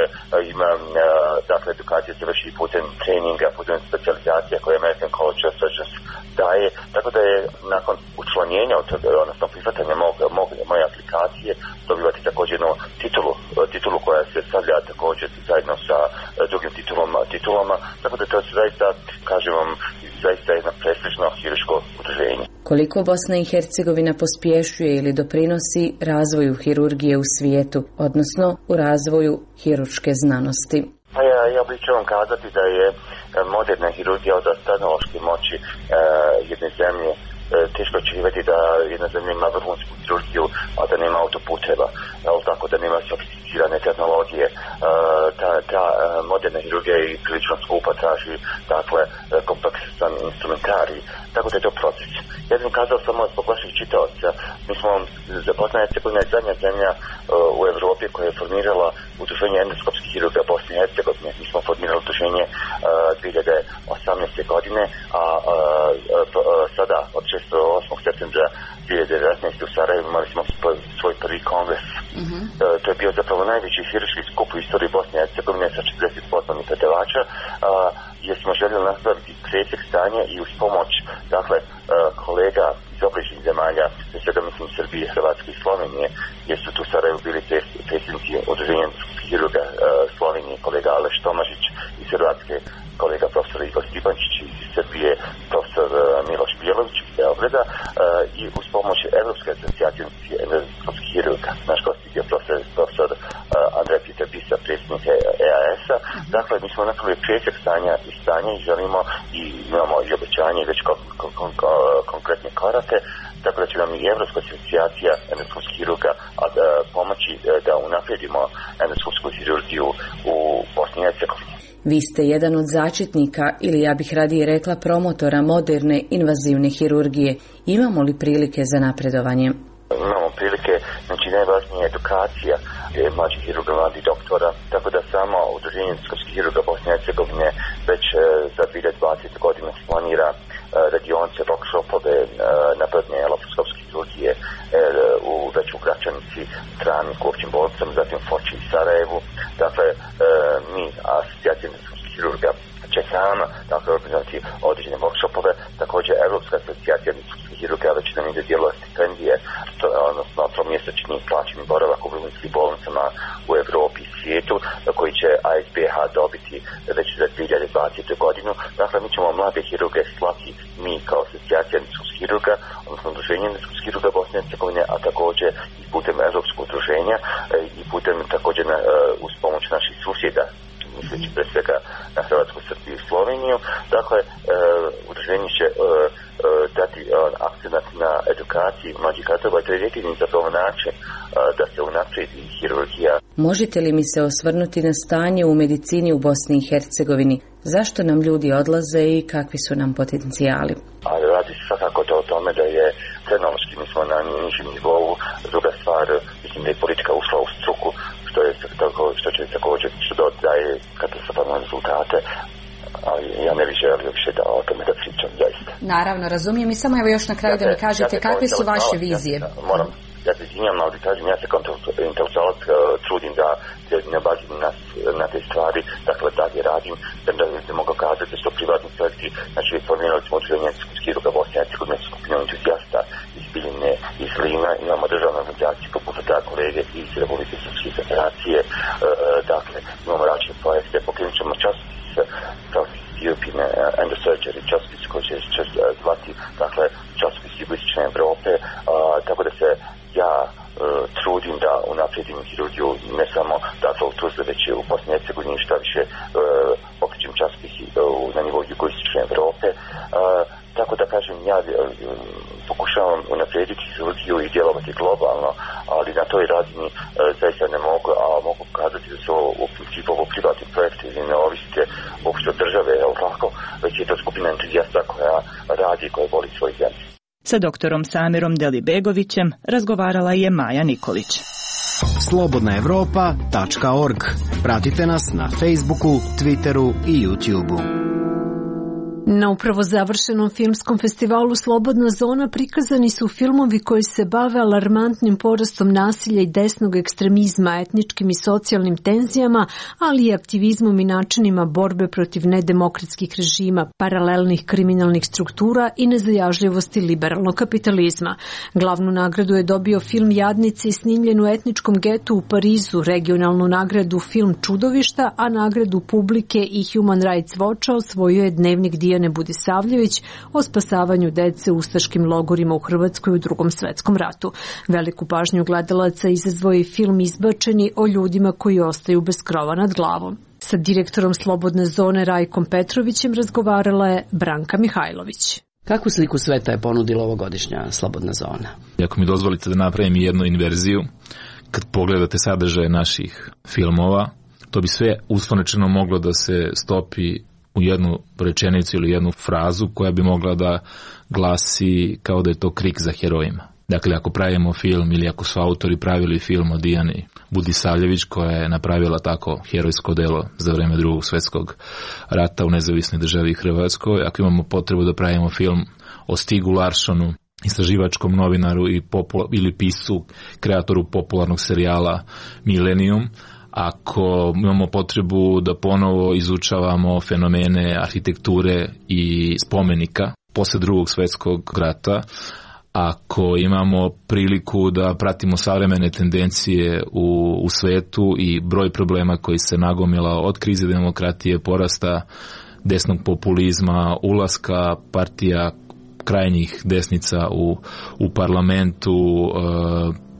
ima, dakle, edukacija se vrši putem treninga, putem specijalizacija koje American College of Surgeons daje, tako da je nakon učlanjenja, odnosno prihvatanja mog, mog, moje aplikacije, dobivati također jednu titulu, titulu koja se stavlja također zajedno sa drugim titulama, titulama, tako da to je zaista, kažem vam, zaista jedno prestižno hirurško udruženje. Koliko Bosna i Hercegovina pospješuje ili doprinosi razvoju hirurgije u svijetu, odnosno u razvoju hirurške znanosti? Pa ja, ja bih ću vam kazati da je moderna hirurgija od tehnološke moći e, jedne zemlje. E, teško očekivati da jedna zemlja ima vrhunsku hirurgiju, a da nema autoputeva, ali tako da nema sofisticirane tehnologije. E, ta, ta moderna hirurgija je prilično skupa, traži, dakle, kompleksan instrumentarij, tako da je to proces. Ja bih kazao samo zbog vaših čitaoca. Mi smo, Bosna i Hercegovina je zadnja zemlja uh, u Evropi koja je formirala udruženje endoskopskih hirurga Bosne i Hercegovine. Mi smo formirali udruženje uh, dvije hiljade osamnaeste. godine, a uh, uh, sada od šestog do osmog septembra dvije hiljade devetnaeste. u Sarajevu imali smo svoj prvi kongres. Uh-huh. Uh, to je bio zapravo najveći hirurški skup u istoriji Bosne i Hercegovine sa četrdeset poslovnih predavača, uh, jer smo željeli nastaviti presjek stanja i uz pomoć, dakle, uh, kolega iz obližnjih zemalja, pre svega mislim Srbije, Hrvatske i Slovenije, jer su tu u Sarajevu bili predsjednici udruženja hirurga uh, Slovenije, kolega Aleš Tomažić, iz Hrvatske kolega profesor Igor Stipančić, iz Srbije profesor uh, Miloš Bijalović iz Beograda, uh, i uz pomoć Evropske asocijacije endoskopskih hirurga, naš gost je bio profesor, profesor uh, Andrej Peter Bisa, predsjednik E A S-a. Dakle, mi smo napravili presjek stanja i stanja i želimo i imamo i obećanje i već kon, kon, kon, konkretne korake, tako da će nam i Evropska asocijacija endoskopskih hirurga a, a, pomoći a, da unaprijedimo endoskopsku hirurgiju u Bosni i Hercegovini. Vi ste jedan od začetnika, ili ja bih radije rekla promotora moderne invazivne hirurgije. Imamo li prilike za napredovanje? Imamo prilike, znači najvažnija je edukacija mlađih hirurga, mladih doktora, tako da samo udruženje endoskopskih hirurga Bosne i Hercegovine već e, za dvije hiljade dvadesete. godine planira e, radionice, workshopove e, napredne laparoskopske hirurgije e, u već u Gračanici, Trani, u općim bolnicama, zatim Foči i Sarajevu. Dakle, e, mi, asocijacija endoskopskih hirurga, će sama, dakle, organizovati određene workshopove. Također, Evropska asocijacija endoskopskih hirurga već nam ide dijelova stipendije, to, odnosno tromjesečni plaćeni boravak u vrhunskim bolnicama u Evropi i svijetu, koji će A S B H dobiti već za dvije hiljade dvadesete. godinu. Dakle, mi ćemo mlade hirurge slati mi kao asocijacija endoskopskih hirurga, odnosno udruženje endoskopskih hirurga Bosne i Hercegovine, a također i putem Evropskog udruženja i putem također na, uz pomoć naših susjeda, misleći pre svega na Hrvatsku, Srbiju i Sloveniju. Dakle, e, udruženje će e, e, dati e, akcenat na edukaciji mlađih kadrova i to je jedini zapravo način e, da se unaprijedi hirurgija. Možete li mi se osvrnuti na stanje u medicini u Bosni i Hercegovini? Zašto nam ljudi odlaze i kakvi su nam potencijali? A radi se svakako to o tome da je tehnološki mi smo na nižem nivou. Druga stvar, mislim da je politika ušla u struku, što je tako, što će također što daje katastrofalne rezultate. ali ja ne bih želio više da o tome da pričam, zaista. Naravno, razumijem i samo evo još na kraju ja da mi kažete ja kakve su vaše vizije. Ja, moram, ja se izvinjam, ali kažem, ja se kao intelektualac uh, trudim da se ne bazim na, na te stvari, dakle dalje radim, da bi mogao kazati da su to privatni projekti, znači formirali smo udruženje Hirurga Bosne i Hercegovine, skupinu entuzijasta iz Biljine, iz Lina, imamo državne organizacije poput da kolege iz Republike Srpske federacije, uh, dakle imamo različite projekte, pokrenut ćemo časopis, časopis European Endosurgery, časopis koji će čas, zvati, dakle časopis Jugoistočne Evrope, uh, tako da se ja uh, trudim da unaprijedim hirurgiju ne samo dakle u Tuzli, već u Bosni i Hercegovini, šta više uh, pokrećem časopisi uh, na nivou Jugoistočne Evrope. Uh, tako da kažem, ja uh, pokušavam unaprijediti hirurgiju i djelovati globalno, ali na toj razini uh, zaista ne mogu, a mogu kazati da su u principu ovo privatni projekti i ne ovisite uopšte od države, jel tako, već je to skupina entuzijasta koja radi i koja voli svoju zemlju. Sa doktorom Samirom Delibegovićem razgovarala je Maja Nikolić. slobodna evropa tačka org. Pratite nas na Facebooku, Twitteru i YouTubeu. Na upravo završenom filmskom festivalu Slobodna zona prikazani su filmovi koji se bave alarmantnim porastom nasilja i desnog ekstremizma, etničkim i socijalnim tenzijama, ali i aktivizmom i načinima borbe protiv nedemokratskih režima, paralelnih kriminalnih struktura i nezajažljivosti liberalnog kapitalizma. Glavnu nagradu je dobio film Jadnici, snimljen u etničkom getu u Parizu, regionalnu nagradu film Čudovišta, a nagradu publike i Human Rights Watcha osvojio je dnevnik Dijane Budisavljević o spasavanju dece u ustaškim logorima u Hrvatskoj u Drugom svetskom ratu. Veliku pažnju gledalaca izazvao je film Izbačeni o ljudima koji ostaju bez krova nad glavom. Sa direktorom Slobodne zone Rajkom Petrovićem razgovarala je Branka Mihajlović. Kakvu sliku sveta je ponudila ovogodišnja Slobodna zona? Ako mi dozvolite da napravim jednu inverziju, kad pogledate sadržaje naših filmova, to bi sve uslovno moglo da se stopi u jednu rečenicu ili jednu frazu koja bi mogla da glasi kao da je to krik za herojima. Dakle, ako pravimo film ili ako su autori pravili film o Dijani Budisavljević koja je napravila tako herojsko delo za vreme Drugog svjetskog rata u nezavisnoj državi Hrvatskoj, ako imamo potrebu da pravimo film o Stigu Larssonu, istraživačkom novinaru i popula- ili piscu, kreatoru popularnog serijala Millennium, ako imamo potrebu da ponovo izučavamo fenomene arhitekture i spomenika posle Drugog svjetskog rata, ako imamo priliku da pratimo savremene tendencije u, u svetu i broj problema koji se nagomilao od krize demokratije, porasta desnog populizma, ulaska partija krajnjih desnica u, u parlamentu, e,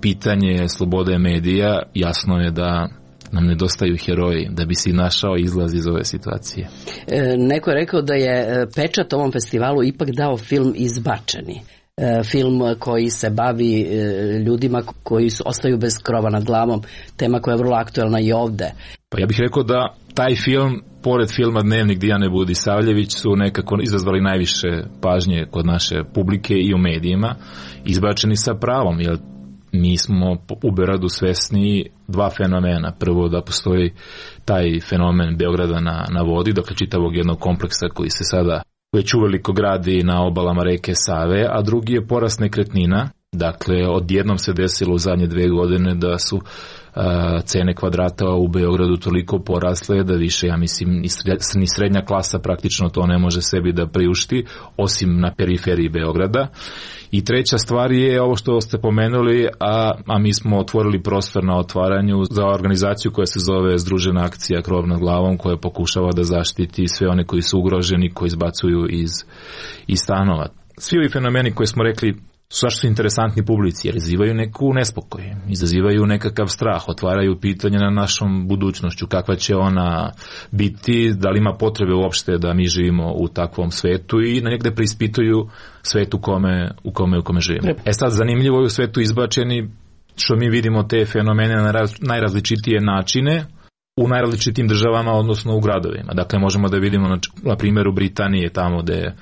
pitanje slobode medija, jasno je da nam nedostaju heroji da bi si našao izlaz iz ove situacije. E, neko je rekao da je pečat ovom festivalu ipak dao film Izbačeni. E, film koji se bavi e, ljudima koji su, ostaju bez krova nad glavom, tema koja je vrlo aktuelna i ovde. Pa ja bih rekao da taj film, pored filma Dnevnik Dijane Budisavljević, su nekako izazvali najviše pažnje kod naše publike i u medijima, izbačeni sa pravom, jer mi smo u Beogradu svesni dva fenomena. Prvo da postoji taj fenomen Beograda na, na vodi, dakle čitavog jednog kompleksa koji se sada već uveliko gradi na obalama reke Save, a drugi je porast nekretnina. Dakle, odjednom se desilo u zadnje dve godine da su a, cene kvadrata u Beogradu toliko porasle da više, ja mislim, ni srednja klasa praktično to ne može sebi da priušti, osim na periferiji Beograda. I treća stvar je ovo što ste pomenuli, a, a mi smo otvorili prostor na otvaranju za organizaciju koja se zove Združena akcija Krov nad glavom, koja pokušava da zaštiti sve one koji su ugroženi, koji izbacuju iz, iz stanova. Svi ovi fenomeni koje smo rekli zašto su interesantni publici, jer izazivaju neku nespokoj, izazivaju nekakav strah, otvaraju pitanje na našom budućnošću, kakva će ona biti, da li ima potrebe uopšte da mi živimo u takvom svetu i na negde preispituju svet u kome, u kome, u kome živimo. E sad, zanimljivo je u svetu Izbačeni što mi vidimo te fenomene na raz, najrazličitije načine u najrazličitim državama, odnosno u gradovima. Dakle, možemo da vidimo na, na primjeru Britanije, tamo gde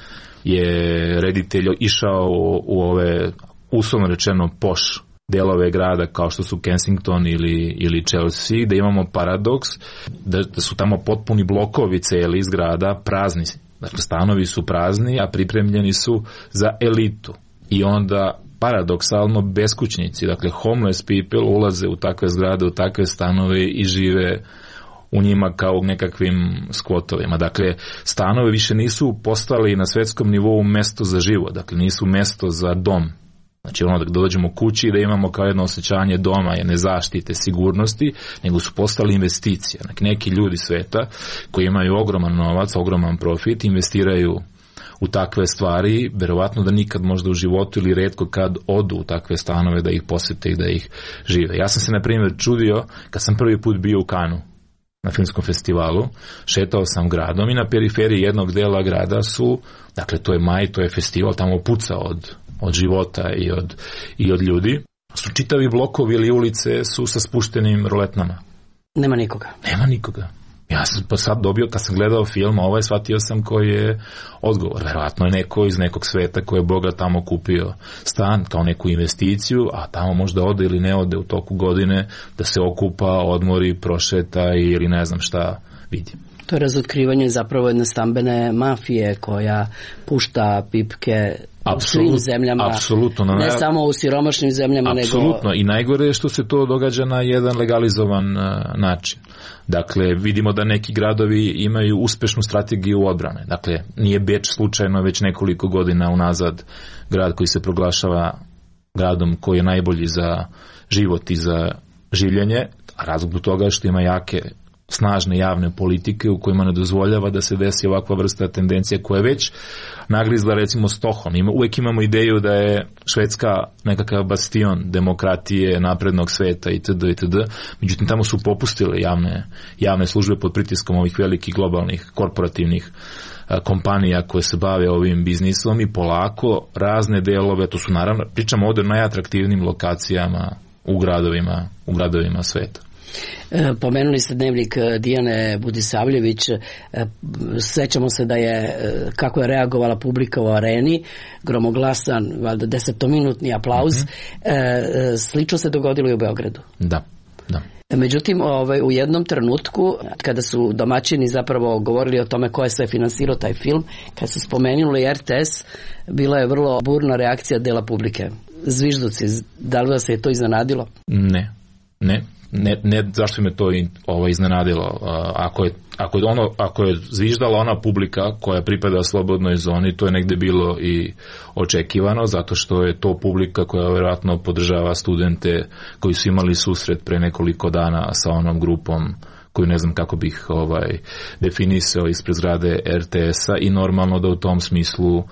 je reditelj išao u, u ove, uslovno rečeno, poš delove grada kao što su Kensington ili, ili Chelsea, da imamo paradoks da, da su tamo potpuni blokovi celi iz grada prazni. Dakle, stanovi su prazni, a pripremljeni su za elitu. I onda paradoksalno beskućnici, dakle homeless people ulaze u takve zgrade, u takve stanove i žive u njima kao u nekakvim skvotovima. Dakle, stanovi više nisu postali na svetskom nivou mesto za život, dakle nisu mesto za dom. Znači ono da dođemo kući i da imamo kao jedno osjećanje doma, jedne zaštite, sigurnosti, nego su postali investicije. Dakle, neki ljudi sveta koji imaju ogroman novac, ogroman profit, investiraju u takve stvari, verovatno da nikad možda u životu ili retko kad odu u takve stanove da ih posete i da ih žive. Ja sam se na primjer čudio kad sam prvi put bio u Kanu na filmskom festivalu, šetao sam gradom i na periferiji jednog dela grada su, dakle to je maj, to je festival, tamo puca od, od života i od, i od ljudi, su čitavi blokovi ili ulice su sa spuštenim roletnama. Nema nikoga. Nema nikoga. Ja sam pa sad dobio, kad sam gledao film, ovaj shvatio sam koji je odgovor. Verovatno je neko iz nekog sveta koji je bogat tamo kupio stan kao neku investiciju, a tamo možda ode ili ne ode u toku godine da se okupa, odmori, prošeta ili ne znam šta vidi. To je razotkrivanje zapravo jedne stambene mafije koja pušta pipke Apsolut, u svim zemljama, apsolutno, ne naj... samo u siromašnim zemljama. Apsolutno, nego... i najgore je što se to događa na jedan legalizovan uh, način. Dakle, vidimo da neki gradovi imaju uspešnu strategiju odbrane. Dakle, nije Beč slučajno već nekoliko godina unazad grad koji se proglašava gradom koji je najbolji za život i za življenje, a razlog toga je što ima jake snažne javne politike u kojima ne dozvoljava da se desi ovakva vrsta tendencija koja je već nagrizla recimo Stockholm. Ima, uvek imamo ideju da je Švedska nekakav bastion demokratije, naprednog sveta itd. itd. Međutim, tamo su popustile javne, javne službe pod pritiskom ovih velikih globalnih korporativnih a, kompanija koje se bave ovim biznisom i polako razne delove, to su naravno, pričamo ovdje o najatraktivnijim lokacijama u gradovima, u gradovima sveta. Pomenuli ste dnevnik Dijane Budisavljević, sećamo se da je, kako je reagovala publika u areni, gromoglasan, valjda desetominutni aplauz, mm-hmm. Slično se dogodilo i u Beogradu. Da, da. Međutim, ovaj, u jednom trenutku, kada su domaćini zapravo govorili o tome ko je sve finansirao taj film, kad su spomenuli R T S, bila je vrlo burna reakcija dela publike. Zvižduci, da li vas je to iznenadilo? Ne, ne. Ne, ne zašto me to ovo iznenadilo. Ako je, ako je ono, ako je zviždala ona publika koja pripada slobodnoj zoni, to je negde bilo i očekivano, zato što je to publika koja vjerojatno podržava studente koji su imali susret pre nekoliko dana sa onom grupom koju ne znam kako bih ovaj definisao ispred zgrade R T S-a i normalno da u tom smislu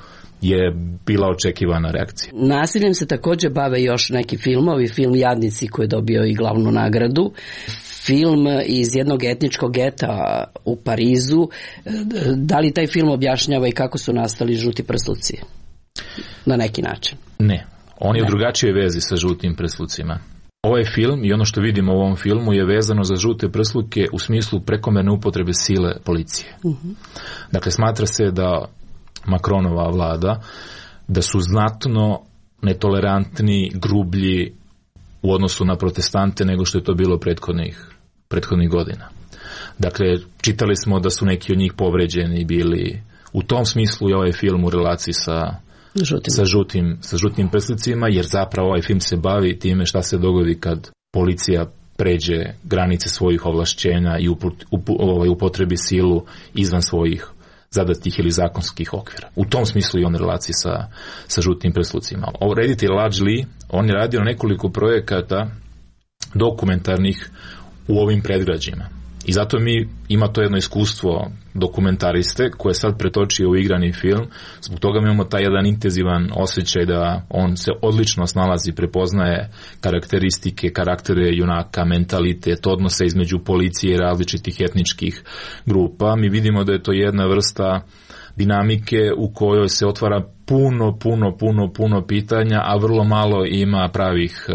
je bila očekivana reakcija. Nasiljem se također bave još neki filmovi, film Jadnici koji je dobio i glavnu nagradu, film iz jednog etničkog geta u Parizu. Da li taj film objašnjava i kako su nastali žuti prsluci? Na neki način. Ne, on je ne. u drugačijoj vezi sa žutim prslucima. Ovaj film i ono što vidimo u ovom filmu je vezano za žute prsluke u smislu prekomerne upotrebe sile policije. Uh-huh. Dakle, smatra se da Macronova vlada, da su znatno netolerantni, grublji u odnosu na protestante nego što je to bilo prethodnih, prethodnih godina. Dakle, čitali smo da su neki od njih povređeni bili. U tom smislu je ovaj film u relaciji sa, žutim. sa, žutim, sa žutim prslicima, jer zapravo ovaj film se bavi time šta se dogodi kad policija pređe granice svojih ovlašćenja i uput, up, ovaj, upotrebi silu izvan svojih zadatih ili zakonskih okvira. U tom smislu i on relaciji sa, sa žutim prslucima. Ovo reditelj Ladj Ly, on je radio nekoliko projekata dokumentarnih u ovim predgrađima. I zato mi ima to jedno iskustvo dokumentariste koje sad pretočio u igrani film. Zbog toga mi imamo taj jedan intenzivan osjećaj da on se odlično snalazi, prepoznaje karakteristike, karaktere junaka, mentalitet, odnose između policije i različitih etničkih grupa. Mi vidimo da je to jedna vrsta dinamike u kojoj se otvara puno, puno, puno, puno pitanja, a vrlo malo ima pravih,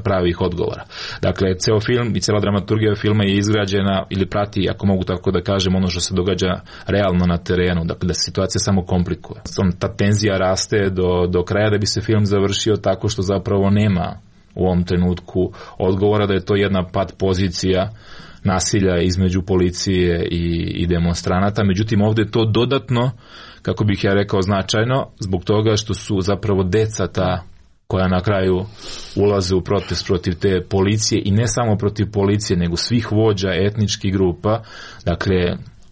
pravih odgovora. Dakle, ceo film i cela dramaturgija filma je izgrađena ili prati, ako mogu tako da kažem, ono što se događa realno na terenu, dakle da se situacija samo komplikuje. Ta tenzija raste do, do kraja da bi se film završio tako što zapravo nema u ovom trenutku odgovora, da je to jedna pad pozicija nasilja između policije i, i demonstranata. Međutim, ovdje je to dodatno, kako bih ja rekao, značajno, zbog toga što su zapravo deca ta koja na kraju ulaze u protest protiv te policije, i ne samo protiv policije, nego svih vođa etničkih grupa. Dakle,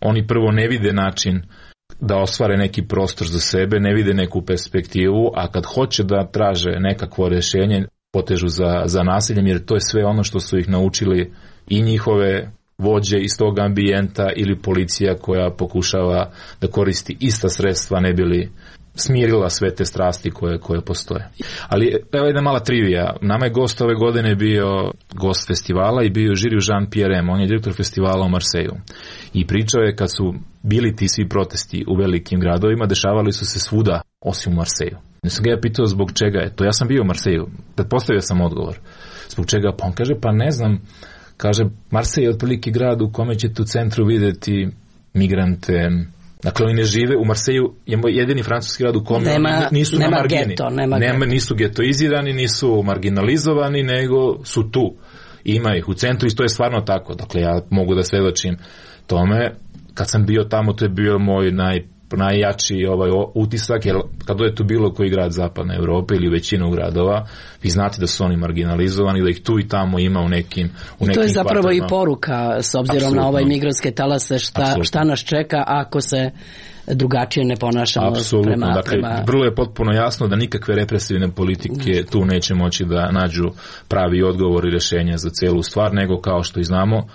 oni prvo ne vide način da ostvare neki prostor za sebe, ne vide neku perspektivu, a kad hoće da traže nekakvo rješenje, potežu za, za nasiljem, jer to je sve ono što su ih naučili i njihove vođe iz tog ambijenta ili policija koja pokušava da koristi ista sredstva ne bi li smirila sve te strasti koje, koje postoje. Ali evo jedna mala trivija. Nama je gost ove godine bio gost festivala i bio je žiri Jean-Pierre M. On je direktor festivala u Marseju. I pričao je kad su bili ti svi protesti u velikim gradovima, dešavali su se svuda osim u Marseju. Ne sam ga ja pitao zbog čega je to. Ja sam bio u Marseju. Pretpostavio sam odgovor. Zbog čega? Pa on kaže, pa ne znam. Kaže, Marsej je otprilike grad u kome ćete u centru vidjeti migrante. Dakle, oni ne žive, u Marseju je jedini francuski grad u kome nema, nisu nema na margini. Geto, nema nema, nisu getoizirani, nisu marginalizovani, nego su tu. Ima ih u centru i to je stvarno tako. Dakle, ja mogu da svedočim tome. Kad sam bio tamo, to je bio moj naj, najjači ovaj utisak, jer kad je tu bilo koji grad zapadne Europe ili većinu gradova, vi znate da su oni marginalizovani, da ih tu i tamo ima u nekim u I nekim to je zapravo kvartalima. I poruka, s obzirom Absolutno. Na ovaj migrantske talase, šta, šta nas čeka ako se drugačije ne ponašamo Apsolutno. prema... Dakle, prema... vrlo je potpuno jasno da nikakve represivne politike tu neće moći da nađu pravi odgovor i rješenja za celu stvar, nego kao što i znamo,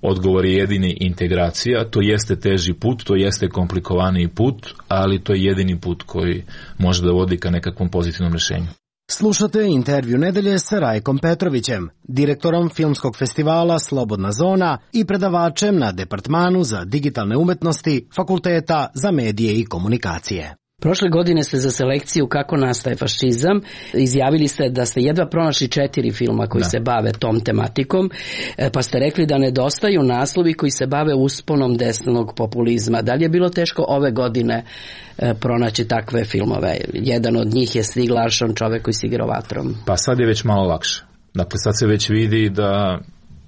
odgovor je jedini integracija. To jeste teži put, to jeste komplikovaniji put, ali to je jedini put koji može da vodi ka nekakvom pozitivnom rješenju. Slušate intervju nedelje sa Rajkom Petrovićem, direktorom filmskog festivala Slobodna zona i predavačem na Departmanu za digitalne umetnosti Fakulteta za medije i komunikacije. Prošle godine ste za selekciju Kako nastaje fašizam izjavili ste da ste jedva pronašli četiri filma koji da. se bave tom tematikom, pa ste rekli da nedostaju naslovi koji se bave usponom desnog populizma. Da li je bilo teško ove godine pronaći takve filmove? Jedan od njih je Stieg Larsson, Čovek koji se igrao vatrom. Pa sad je već malo lakše. Dakle, sad se već vidi da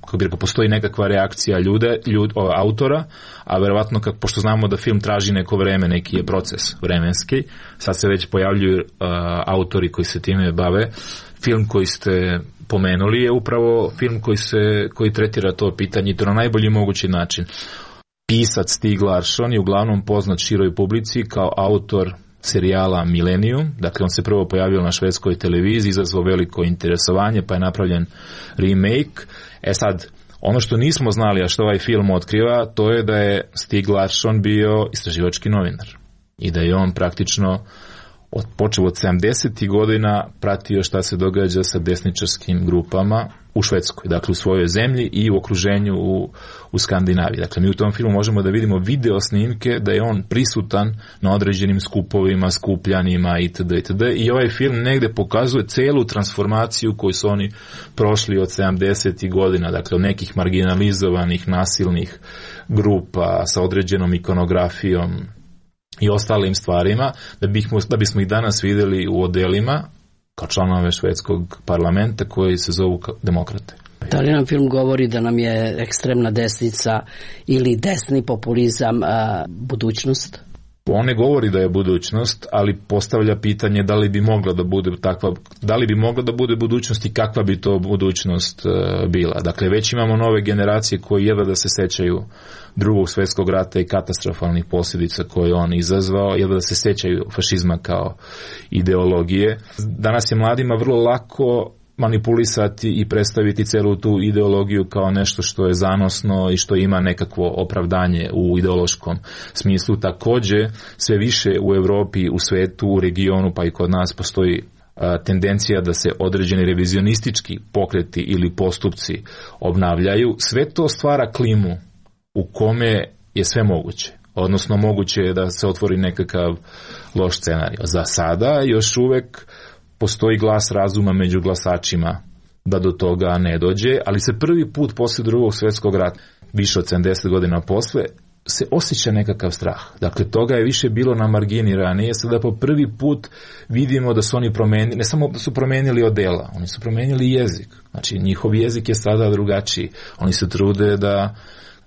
kako bi rekao, postoji nekakva reakcija ljude, ljud, o, autora, a verovatno, kako, pošto znamo da film traži neko vreme, neki je proces vremenski, sad se već pojavljuju uh, autori koji se time bave. Film koji ste pomenuli je upravo film koji, se, koji tretira to pitanje i to na najbolji mogući način. Pisac Stieg Larsson je uglavnom poznat široj publici kao autor serijala Millennium, dakle on se prvo pojavio na švedskoj televiziji, izazvao veliko interesovanje, pa je napravljen remake. E sad, ono što nismo znali, a što ovaj film otkriva, to je da je Stieg Larsson bio istraživački novinar i da je on praktično od, počeo od sedamdesetih godina pratio šta se događa sa desničarskim grupama u Švedskoj, dakle u svojoj zemlji i u okruženju u, u Skandinaviji. Dakle, mi u tom filmu možemo da vidimo video snimke da je on prisutan na određenim skupovima, skupljanjima itd. itd. I ovaj film negde pokazuje celu transformaciju koju su oni prošli od sedamdesetih godina, dakle od nekih marginalizovanih, nasilnih grupa sa određenom ikonografijom i ostalim stvarima, da, bih, da bismo ih danas vidjeli u odelima kao članove švedskog parlamenta koji se zovu demokrate. Da li nam film govori da nam je ekstremna desnica ili desni populizam a, budućnost? On ne govori da je budućnost, ali postavlja pitanje da li bi mogla da bude takva, da li bi mogla da bude budućnost i kakva bi to budućnost uh, bila. Dakle, već imamo nove generacije koji jedva da se sećaju Drugog svjetskog rata i katastrofalnih posljedica koje on izazvao, jedva da se sećaju fašizma kao ideologije. Danas je mladima vrlo lako manipulisati i predstaviti celu tu ideologiju kao nešto što je zanosno i što ima nekakvo opravdanje u ideološkom smislu. Također, sve više u Europi, u svetu, u regionu, pa i kod nas postoji a, tendencija da se određeni revizionistički pokreti ili postupci obnavljaju. Sve to stvara klimu u kome je sve moguće. Odnosno, moguće je da se otvori nekakav loš scenarij. Za sada još uvek postoji glas razuma među glasačima da do toga ne dođe, ali se prvi put posle Drugog svjetskog rata, više od sedamdeset godina posle, se osjeća nekakav strah. Dakle, toga je više bilo na margini ranije, sada po prvi put vidimo da su oni promenili, ne samo da su promenili odela, oni su promenili jezik. Znači, njihov jezik je sada drugačiji. Oni se trude da,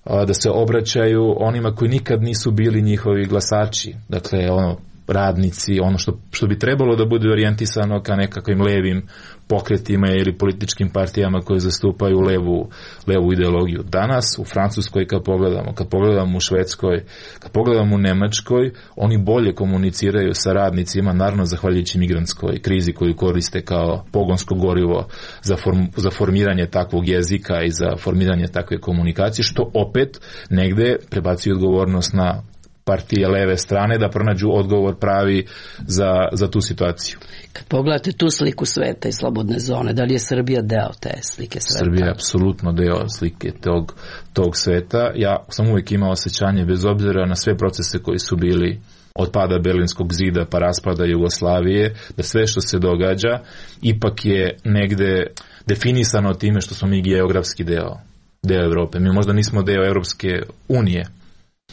da se obraćaju onima koji nikad nisu bili njihovi glasači. Dakle, ono, radnici, ono što, što bi trebalo da bude orijentisano ka nekakvim levim pokretima ili političkim partijama koje zastupaju levu, levu ideologiju. Danas u Francuskoj kad pogledamo, kad pogledamo u Švedskoj, kad pogledamo u Nemačkoj, oni bolje komuniciraju sa radnicima, naravno zahvaljujući migrantskoj krizi koju koriste kao pogonsko gorivo za, form, za formiranje takvog jezika i za formiranje takve komunikacije, što opet negde prebacuje odgovornost na partije leve strane da pronađu odgovor pravi za, za tu situaciju. Kad pogledate tu sliku sveta i slobodne zone, da li je Srbija deo te slike sveta? Srbija je apsolutno deo slike tog, tog sveta. Ja sam uvijek imao osjećanje, bez obzira na sve procese koji su bili od pada Berlinskog zida pa raspada Jugoslavije, da sve što se događa ipak je negde definisano time što smo mi geografski deo, deo Evrope. Mi možda nismo deo Evropske unije.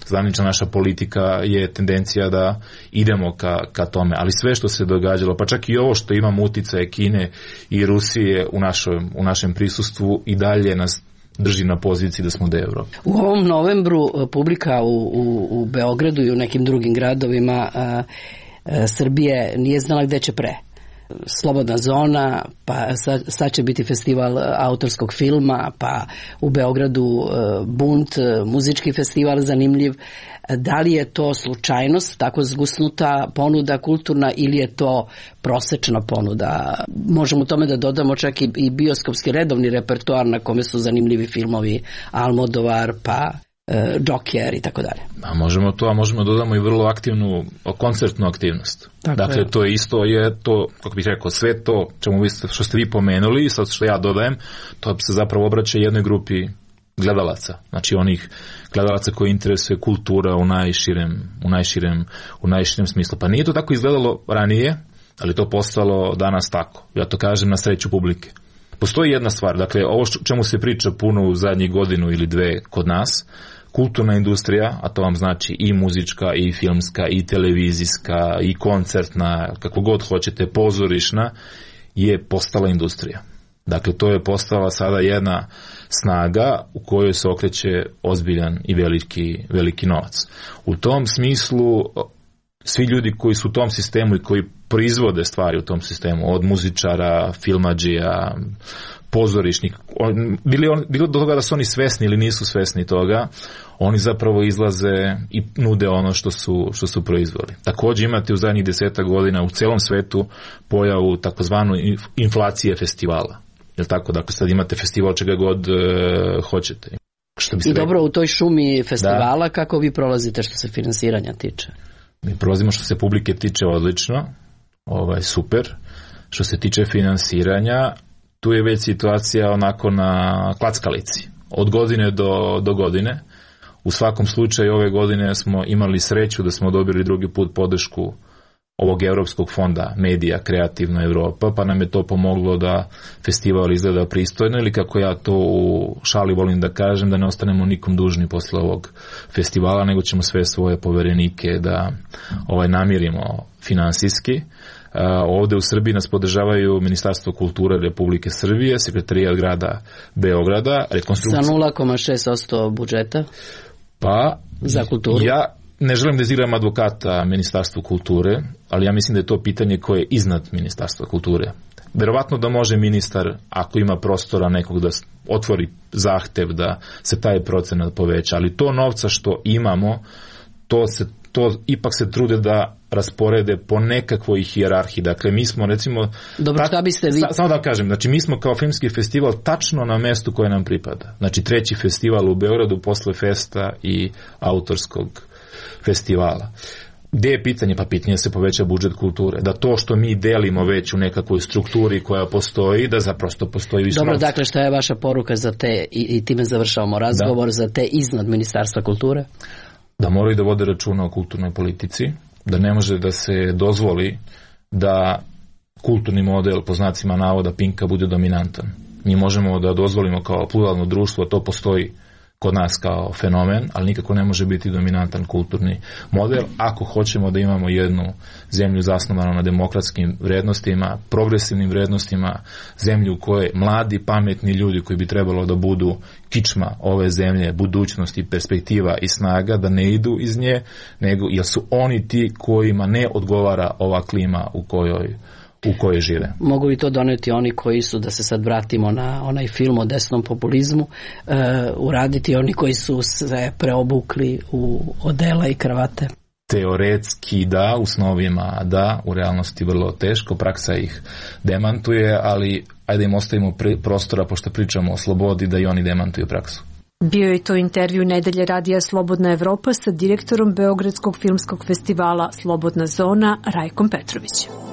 Zvanična naša politika je tendencija da idemo ka, ka tome, ali sve što se događalo, pa čak i ovo što imamo uticaje Kine i Rusije u našem, u našem prisustvu i dalje nas drži na poziciji da smo deo Evrope. U ovom novembru publika u, u, u Beogradu i u nekim drugim gradovima a, a, Srbije nije znala gde će pre. Slobodna zona, pa sad, sad će biti festival autorskog filma, pa u Beogradu Bunt, muzički festival zanimljiv. Da li je to slučajnost, tako zgusnuta ponuda kulturna, ili je to prosečna ponuda? Možemo tome da dodamo čak i, i bioskopski redovni repertoar na kome su zanimljivi filmovi Almodovar, pa Joker i tako dalje. A možemo to, a možemo dodamo i vrlo aktivnu koncertnu aktivnost. Tako dakle, je. To je isto, je to, kako bih rekao, sve to čemu vi, što ste vi pomenuli, sad što ja dodajem, to se zapravo obraća jednoj grupi gledalaca. Znači onih gledalaca koji interesuje kultura u najširem, u najširem, u najširem smislu. Pa nije to tako izgledalo ranije, ali to postalo danas tako. Ja to kažem na sreću publike. Postoji jedna stvar, dakle, ovo što, čemu se priča puno u zadnjih godinu ili dve kod nas, kulturna industrija, a to vam znači i muzička, i filmska, i televizijska, i koncertna, kako god hoćete, pozorišna, je postala industrija. Dakle, to je postala sada jedna snaga u kojoj se okreće ozbiljan i veliki, veliki novac. U tom smislu, svi ljudi koji su u tom sistemu i koji proizvode stvari u tom sistemu, od muzičara, filmadžija, pozorišnih, bili, on, bilo do toga da su oni svesni ili nisu svesni toga, oni zapravo izlaze i nude ono što su, što su proizveli. Također imate u zadnjih deseta godina u celom svetu pojavu takozvanu inflacije festivala. Jel tako? Dakle, sad imate festival čega god e, hoćete. Što bi I dobro, rekli? U toj šumi festivala, da. Kako vi prolazite što se finansiranja tiče? Mi prolazimo što se publike tiče odlično, ovaj, super. Što se tiče finansiranja, tu je već situacija onako na klackalici. Od godine do, do godine. U svakom slučaju ove godine smo imali sreću da smo dobili drugi put podršku ovog Europskog fonda Medija Kreativna Evropa, pa nam je to pomoglo da festival izgleda pristojno, ili kako ja to u šali volim da kažem, da ne ostanemo nikom dužni posle ovog festivala, nego ćemo sve svoje poverenike da ovaj, namirimo finansijski. Uh, ovde u Srbiji nas podržavaju Ministarstvo kulture Republike Srbije, Sekretarijat grada Beograda, rekonstrukcija... Sa nula zarez šest posto budžeta? Pa, za kulturu? Ja ne želim da izigram advokata Ministarstvu kulture, ali ja mislim da je to pitanje koje je iznad Ministarstva kulture. Verovatno da može ministar, ako ima prostora nekog da otvori zahtev da se taj procenat poveća, ali to novca što imamo, to se to ipak se trude da rasporede po nekakvoj hijerarhiji. Dakle, mi smo recimo... Dobro, šta biste vi... Samo da kažem, znači mi smo kao filmski festival tačno na mestu koje nam pripada. Znači treći festival u Beogradu posle festa i autorskog festivala. Gde je pitanje? Pa pitanje se poveća budžet kulture. Da to što mi delimo već u nekakvoj strukturi koja postoji, da zaprosto postoji više... Dobro, dakle, šta je vaša poruka za te, i, i time završavamo razgovor, da. Za te iznad Ministarstva kulture? Da moraju da vode računa o kulturnoj politici, da ne može da se dozvoli da kulturni model, po znacima navoda, Pinka, bude dominantan. Mi možemo da dozvolimo kao pluralno društvo, to postoji kod nas kao fenomen, ali nikako ne može biti dominantan kulturni model ako hoćemo da imamo jednu zemlju zasnovanu na demokratskim vrednostima, progresivnim vrednostima, zemlju u kojoj mladi, pametni ljudi koji bi trebalo da budu kičma ove zemlje, budućnosti, perspektiva i snaga, da ne idu iz nje, nego jer su oni ti kojima ne odgovara ova klima u kojoj u kojoj žive. Mogu li to doneti oni koji su, da se sad vratimo na onaj film o desnom populizmu, uh, uraditi oni koji su se preobukli u odela i kravate? Teoretski da, u snovima da, u realnosti vrlo teško, praksa ih demantuje, ali ajde im ostavimo prostora, pošto pričamo o slobodi, da i oni demantuju praksu. Bio je to intervju Nedelje radija Slobodna Evropa sa direktorom Beogradskog filmskog festivala Slobodna zona Rajkom Petrovićem.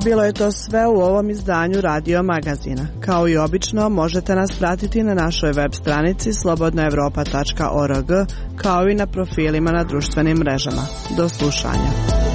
Bilo je to sve u ovom izdanju Radio Magazina. Kao i obično, možete nas pratiti na našoj web stranici slobodna evropa tačka org, kao i na profilima na društvenim mrežama. Do slušanja.